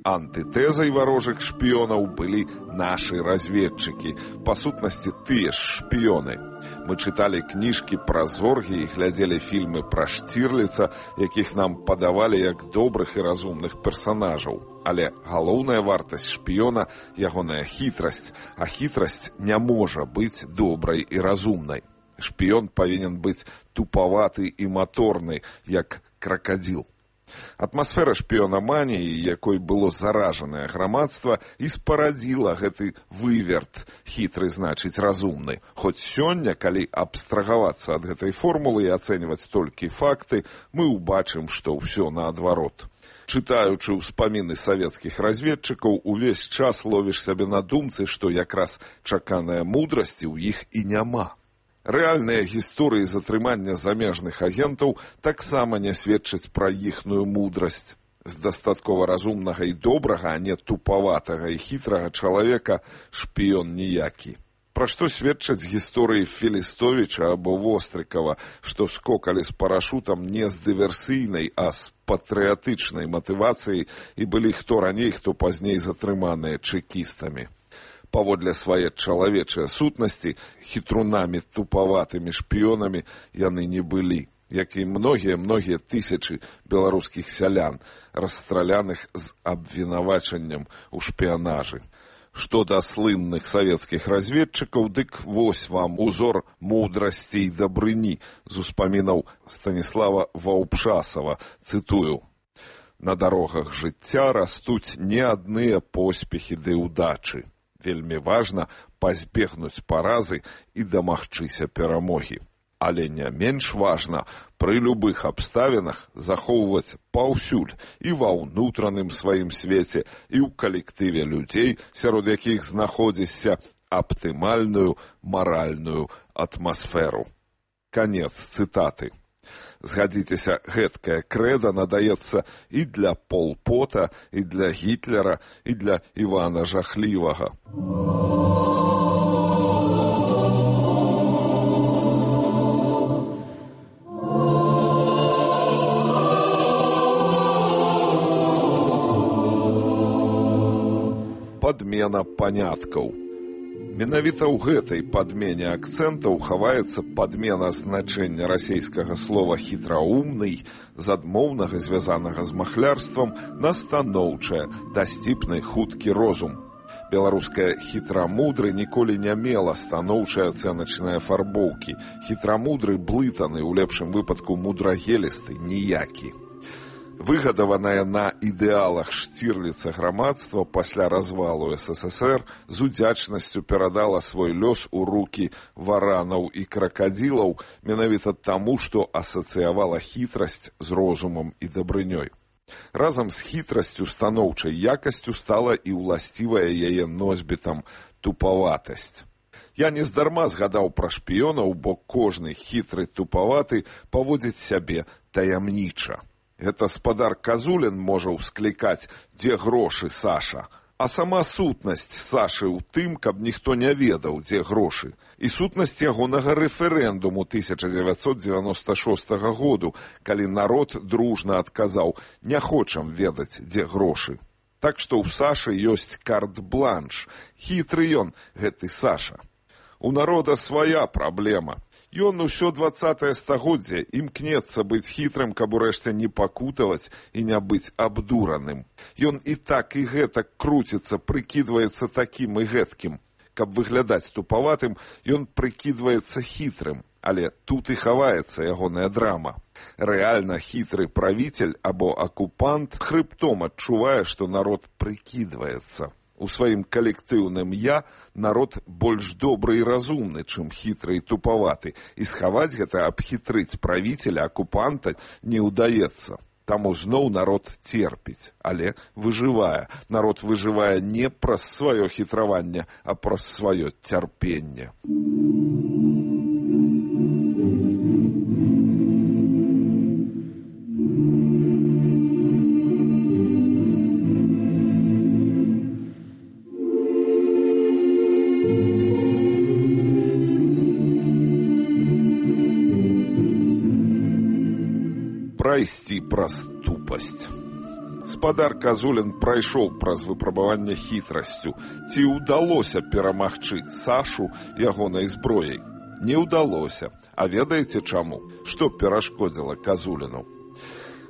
Антытэзай варожых шпіёнаў былі нашы разведчыкі, па сутнасці тыя ж шпіёны. Мы чыталі кніжкі пра зоргі і глядзелі фільмы пра Штірліца, якіх нам падавалі як добрых і разумных персанажаў. Але галоўная вартасць шпіёна – ягоная хітрасць, а хітрасць не можа быць добрай і разумнай. Шпіён павінен быць тупаваты і маторны, як кракадзіл. Атмасфера шпіёнаманіі, якой было заражанае грамадства, і спарадзіла гэты выверт, хітры значыць разумны. Хоць сёння, калі абстрагавацца ад гэтай формулы і ацэньваць толькі факты, мы ўбачым, што ўсё наадварот. Чытаючы ўспаміны савецкіх разведчыкаў, увесь час ловіш сябе на думцы, што якраз чаканая мудрасці ў іх і няма. Рэальныя гісторыі затрымання замежных агентаў таксама не сведчаць пра іхную мудрасць. З дастаткова разумнага і добрага, а не тупаватага і хітрага чалавека шпіён ніякі. Пра што сведчаць гісторыі Філістовіча або Вострыкава, што скокалі з парашутам не з дыверсійнай, а з патрыятычнай матывацыяй і былі хто раней, хто пазней затрыманыя чэкістамі. Паводле свае чалавечыя сутнасці, хітрунамі тупаватымі шпіёнамі яны не былі, як і многія-многія тысячы беларускіх сялян, расстраляных з абвінавачаннем у шпіянажы. Што да слынных савецкіх разведчыкаў, дык вось вам узор мудрасці і дабрыні з успамінаў Станіслава Ваўпшасава, цытую: «На дарогах жыцця растуць не адныя поспехі ды ўдачы. Вельмі важна пазбегнуць паразы і дамагчыся перамогі. Але не менш важна пры любых абставінах захоўваць паўсюль і ва ўнутраным сваім свеце, і ў калектыве людзей, сярод якіх знаходзішся, аптымальную маральную атмасферу». Канец цытаты. Згадзіцеся, гэткае крэда надаецца і для Пол Пота, і для Гітлера, і для Івана Жахлівага. Падмена паняткаў. Менавіта ў гэтай падмене акцэнтаў хаваецца падмена значэння расейскага слова «хітраумны» з адмоўнага, звязанага з махлярствам, на станоўчае, дасціпны, хуткі розум. Беларускае «хітрамудры» ніколі не мела станоўчай ацэначнай афарбоўкі. Хітрамудры блытаны, у лепшым выпадку мудрагелісты, ніякі. Выгадаванае на ідэалах Штірліца грамадства пасля развалу эс эс эс эр з удзячнасцю перадала свой лёс у рукі варанаў і кракадзілаў менавіта таму, што асацыявала хітрасць з розумам і дабрынёй. Разам з хітрасцю станоўчай якасцю стала і ўласцівая яе носьбітам тупаватасць. Я нездарма згадаў пра шпіёнаў, бо кожны хітры тупаваты паводзіць сябе таямніча. Гэта спадар Казулін можа ўсклікаць «Дзе грошы, Саша?», а сама сутнасць Сашы ў тым, каб ніхто не ведаў, дзе грошы. І сутнасць ягонага рэферэндуму тысяча дзевяцьсот дзевяноста шостага году, калі народ дружна адказаў «Не хочам ведаць, дзе грошы». Так што ў Сашы ёсць карт-бланш. Хітры ён, гэты Саша. У народа свая праблема. Ён усё дваццатае стагоддзе імкнецца быць хітрым, каб урэшце не пакутаваць і не быць абдураным. Ён і так і гэтак круціцца, прыкідваецца такім і гэткім. Каб выглядаць тупаватым, ён прыкідваецца хітрым, але тут і хаваецца ягоная драма. Рэальна хітры правіцель або акупант хрыбтом адчувае, што народ прыкідваецца. У сваім калектыўным «я» народ больш добры і разумны, чым хітры і тупаваты, і схаваць гэта, абхітрыць правіцеля, акупанта не ўдаецца. Таму зноў народ церпіць, але выжывае. Народ выжывае не праз сваё хітраванне, а праз сваё цярпенне. Прайсці праз тупасць. Спадар Казулін прайшоў праз выпрабаванне хітрасцю. Ці ўдалося перамагчы Сашу ягонай зброяй? Не ўдалося. А ведаеце чаму? Што перашкодзіла Казуліну?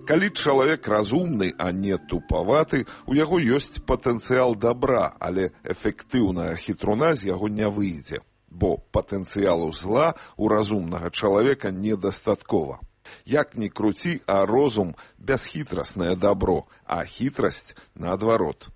Калі чалавек разумны, а не тупаваты, у яго ёсць патэнцыял дабра, але эфектыўная хітруна з яго не выйдзе, бо патэнцыялу зла у разумнага чалавека недастаткова. Як ні круці, а розум – бясхітрасное дабро, а хітрасць – наадварот.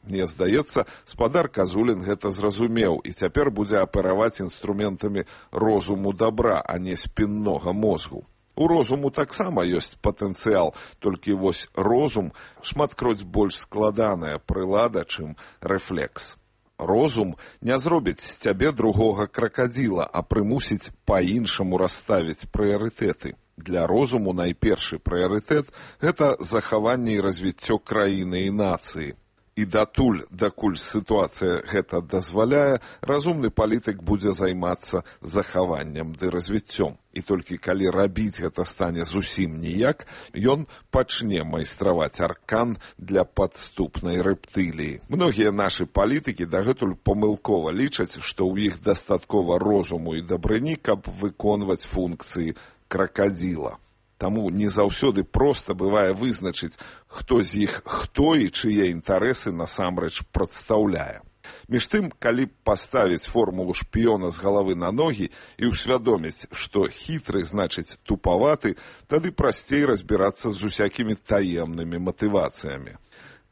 Мне здаецца, спадар Казулін гэта зразумеў і цяпер будзе апераваць інструментамі розуму дабра, а не спіннога мозгу. У розуму таксама ёсць патэнцыял, толькі вось розум шматкроць больш складаная прылада, чым рэфлекс. Розум не зробіць з цябе другога кракадзіла, а прымусіць па-іншаму расставіць прыярытэты. Для розуму найпершы прыярытэт – гэта захаванне і развіццё краіны і нацыі. І датуль, дакуль сітуацыя гэта дазваляе, разумны палітык будзе займацца захаваннем ды развіццём. І толькі калі рабіць гэта стане зусім ніяк, ён пачне майстраваць аркан для падступнай рэптыліі. Многія нашы палітыкі дагэтуль памылкова лічаць, што ў іх дастаткова розуму і дабрыні, каб выконваць функцыі кракадзіла. Таму не заўсёды проста бывае вызначыць, хто з іх хто і чые інтарэсы насамрэч прадстаўляе. Між тым, калі паставіць формулу шпіёна з галавы на ногі і ўсвядоміць, што хітры значыць тупаваты, тады прасцей разбірацца з усякімі таемнымі матывацыямі.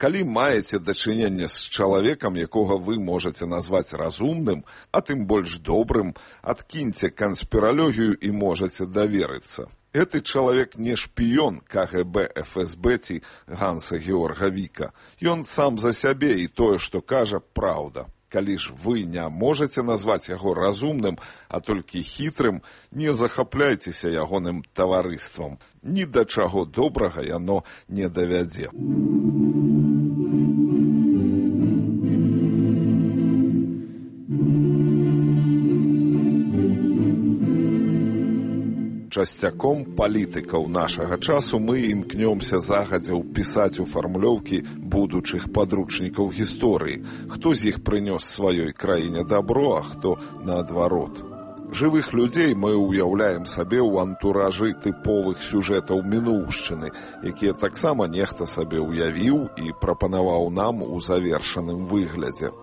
Калі маеце дачыненне з чалавекам, якога вы можаце назваць разумным, а тым больш добрым, адкіньце канспіралогію і можаце даверыцца. Гэты чалавек не шпіён ка гэ бэ, эф эс бэ ці Ганса Георга Віка. Ён сам за сябе і тое, што кажа, праўда. Калі ж вы не можаце назваць яго разумным, а толькі хітрым, не захапляйцеся ягоным таварыствам. Ні да чаго добрага яно не давядзе. Часцяком палітыкаў нашага часу мы імкнёмся загадзя ўпісаць у фармулёўкі будучых падручнікаў гісторыі, хто з іх прынёс сваёй краіне дабро, а хто наадварот. Жывых людзей мы ўяўляем сабе ў антуражы тыповых сюжэтаў мінуўшчыны, якія таксама нехта сабе ўявіў і прапанаваў нам у завершаным выглядзе.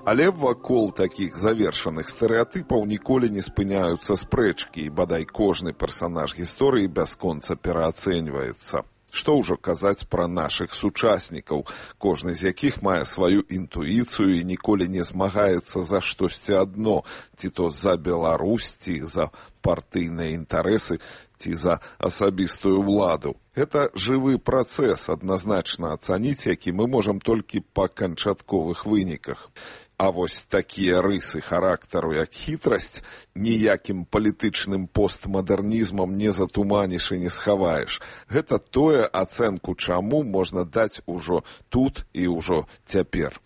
Але вакол такіх завершаных стэрэатыпаў ніколі не спыняюцца спрэчкі, і бадай кожны персанаж гісторыі бясконца пераацэньваецца. Што ўжо казаць пра нашых сучаснікаў, кожны з якіх мае сваю інтуіцыю і ніколі не змагаецца за штосьці адно, ці то за Беларусь, ці за партыйныя інтарэсы, ці за асабістую ўладу. Гэта жывы працэс, адназначна ацаніць, які мы можам толькі па канчатковых выніках. А вось такія рысы характару, як хітрасць, ніякім палітычным постмадэрнізмам не затуманіш і не схаваеш. Гэта тое, ацэнку чаму можна даць ужо тут і ўжо цяпер.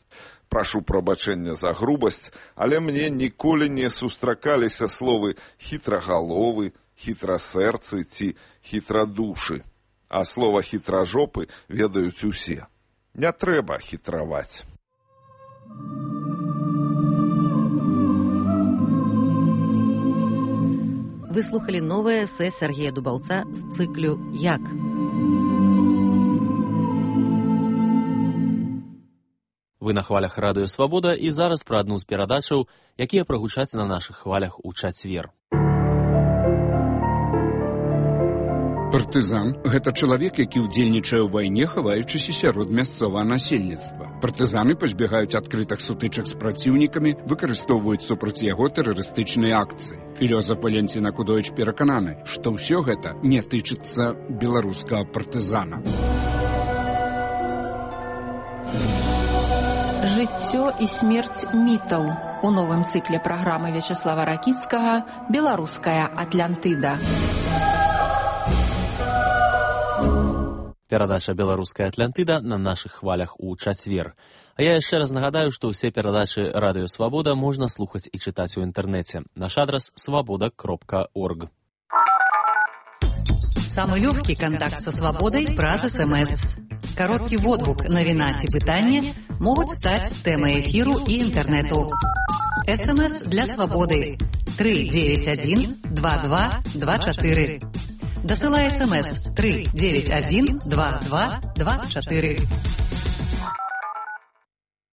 Прашу прабачэння за грубасць, але мне ніколі не сустракаліся словы хітрагаловы, хітрасэрцы ці хітрадушы. А слова хітражопы ведаюць усе. Не трэба хітраваць. Вы слухали новае эсэ Сергея Дубаўца з цыклю «Як?». Вы на хвалях Радыё Свабода і зараз пра адну з перадачаў, якія прагучаць на нашых хвалях у чацвер. Партызан – гэта чалавек, які ўдзельнічае ў вайне, хаваючыся сярод мясцовага насельніцтва. Партызаны пазбягаюць адкрытых сутычак з праціўнікамі, выкарыстоўваюць супраць яго тэрарыстычныя акцыі. Філёзаф Валентин Акудович перакананы, што ўсё гэта не тычыцца беларускага партызана. Жыццё і смерць мітаў у новым цыкле праграмы Вячеслава Ракіцкага «Беларуская Атлантыда». Перадача «Беларуская Атлантыда» на нашых хвалях у чацвер. А я яшчэ раз нагадаю, што ўсе перадачы Радыё Свабода можна слухаць і чытаць у інтэрнэце. Наш адрас свабода кропка орг. Самый лёгкі кантакт са свабодай праз эс эм эс. Кароткі водгук, навіна ці пытанне могуць стаць тэмай эфіру і інтэрнэту. эс эм эс для свабоды тры дзевяць адзін два два два чатыры. Дасылай эс эм эс тры дзевяць адзін два два два чатыры.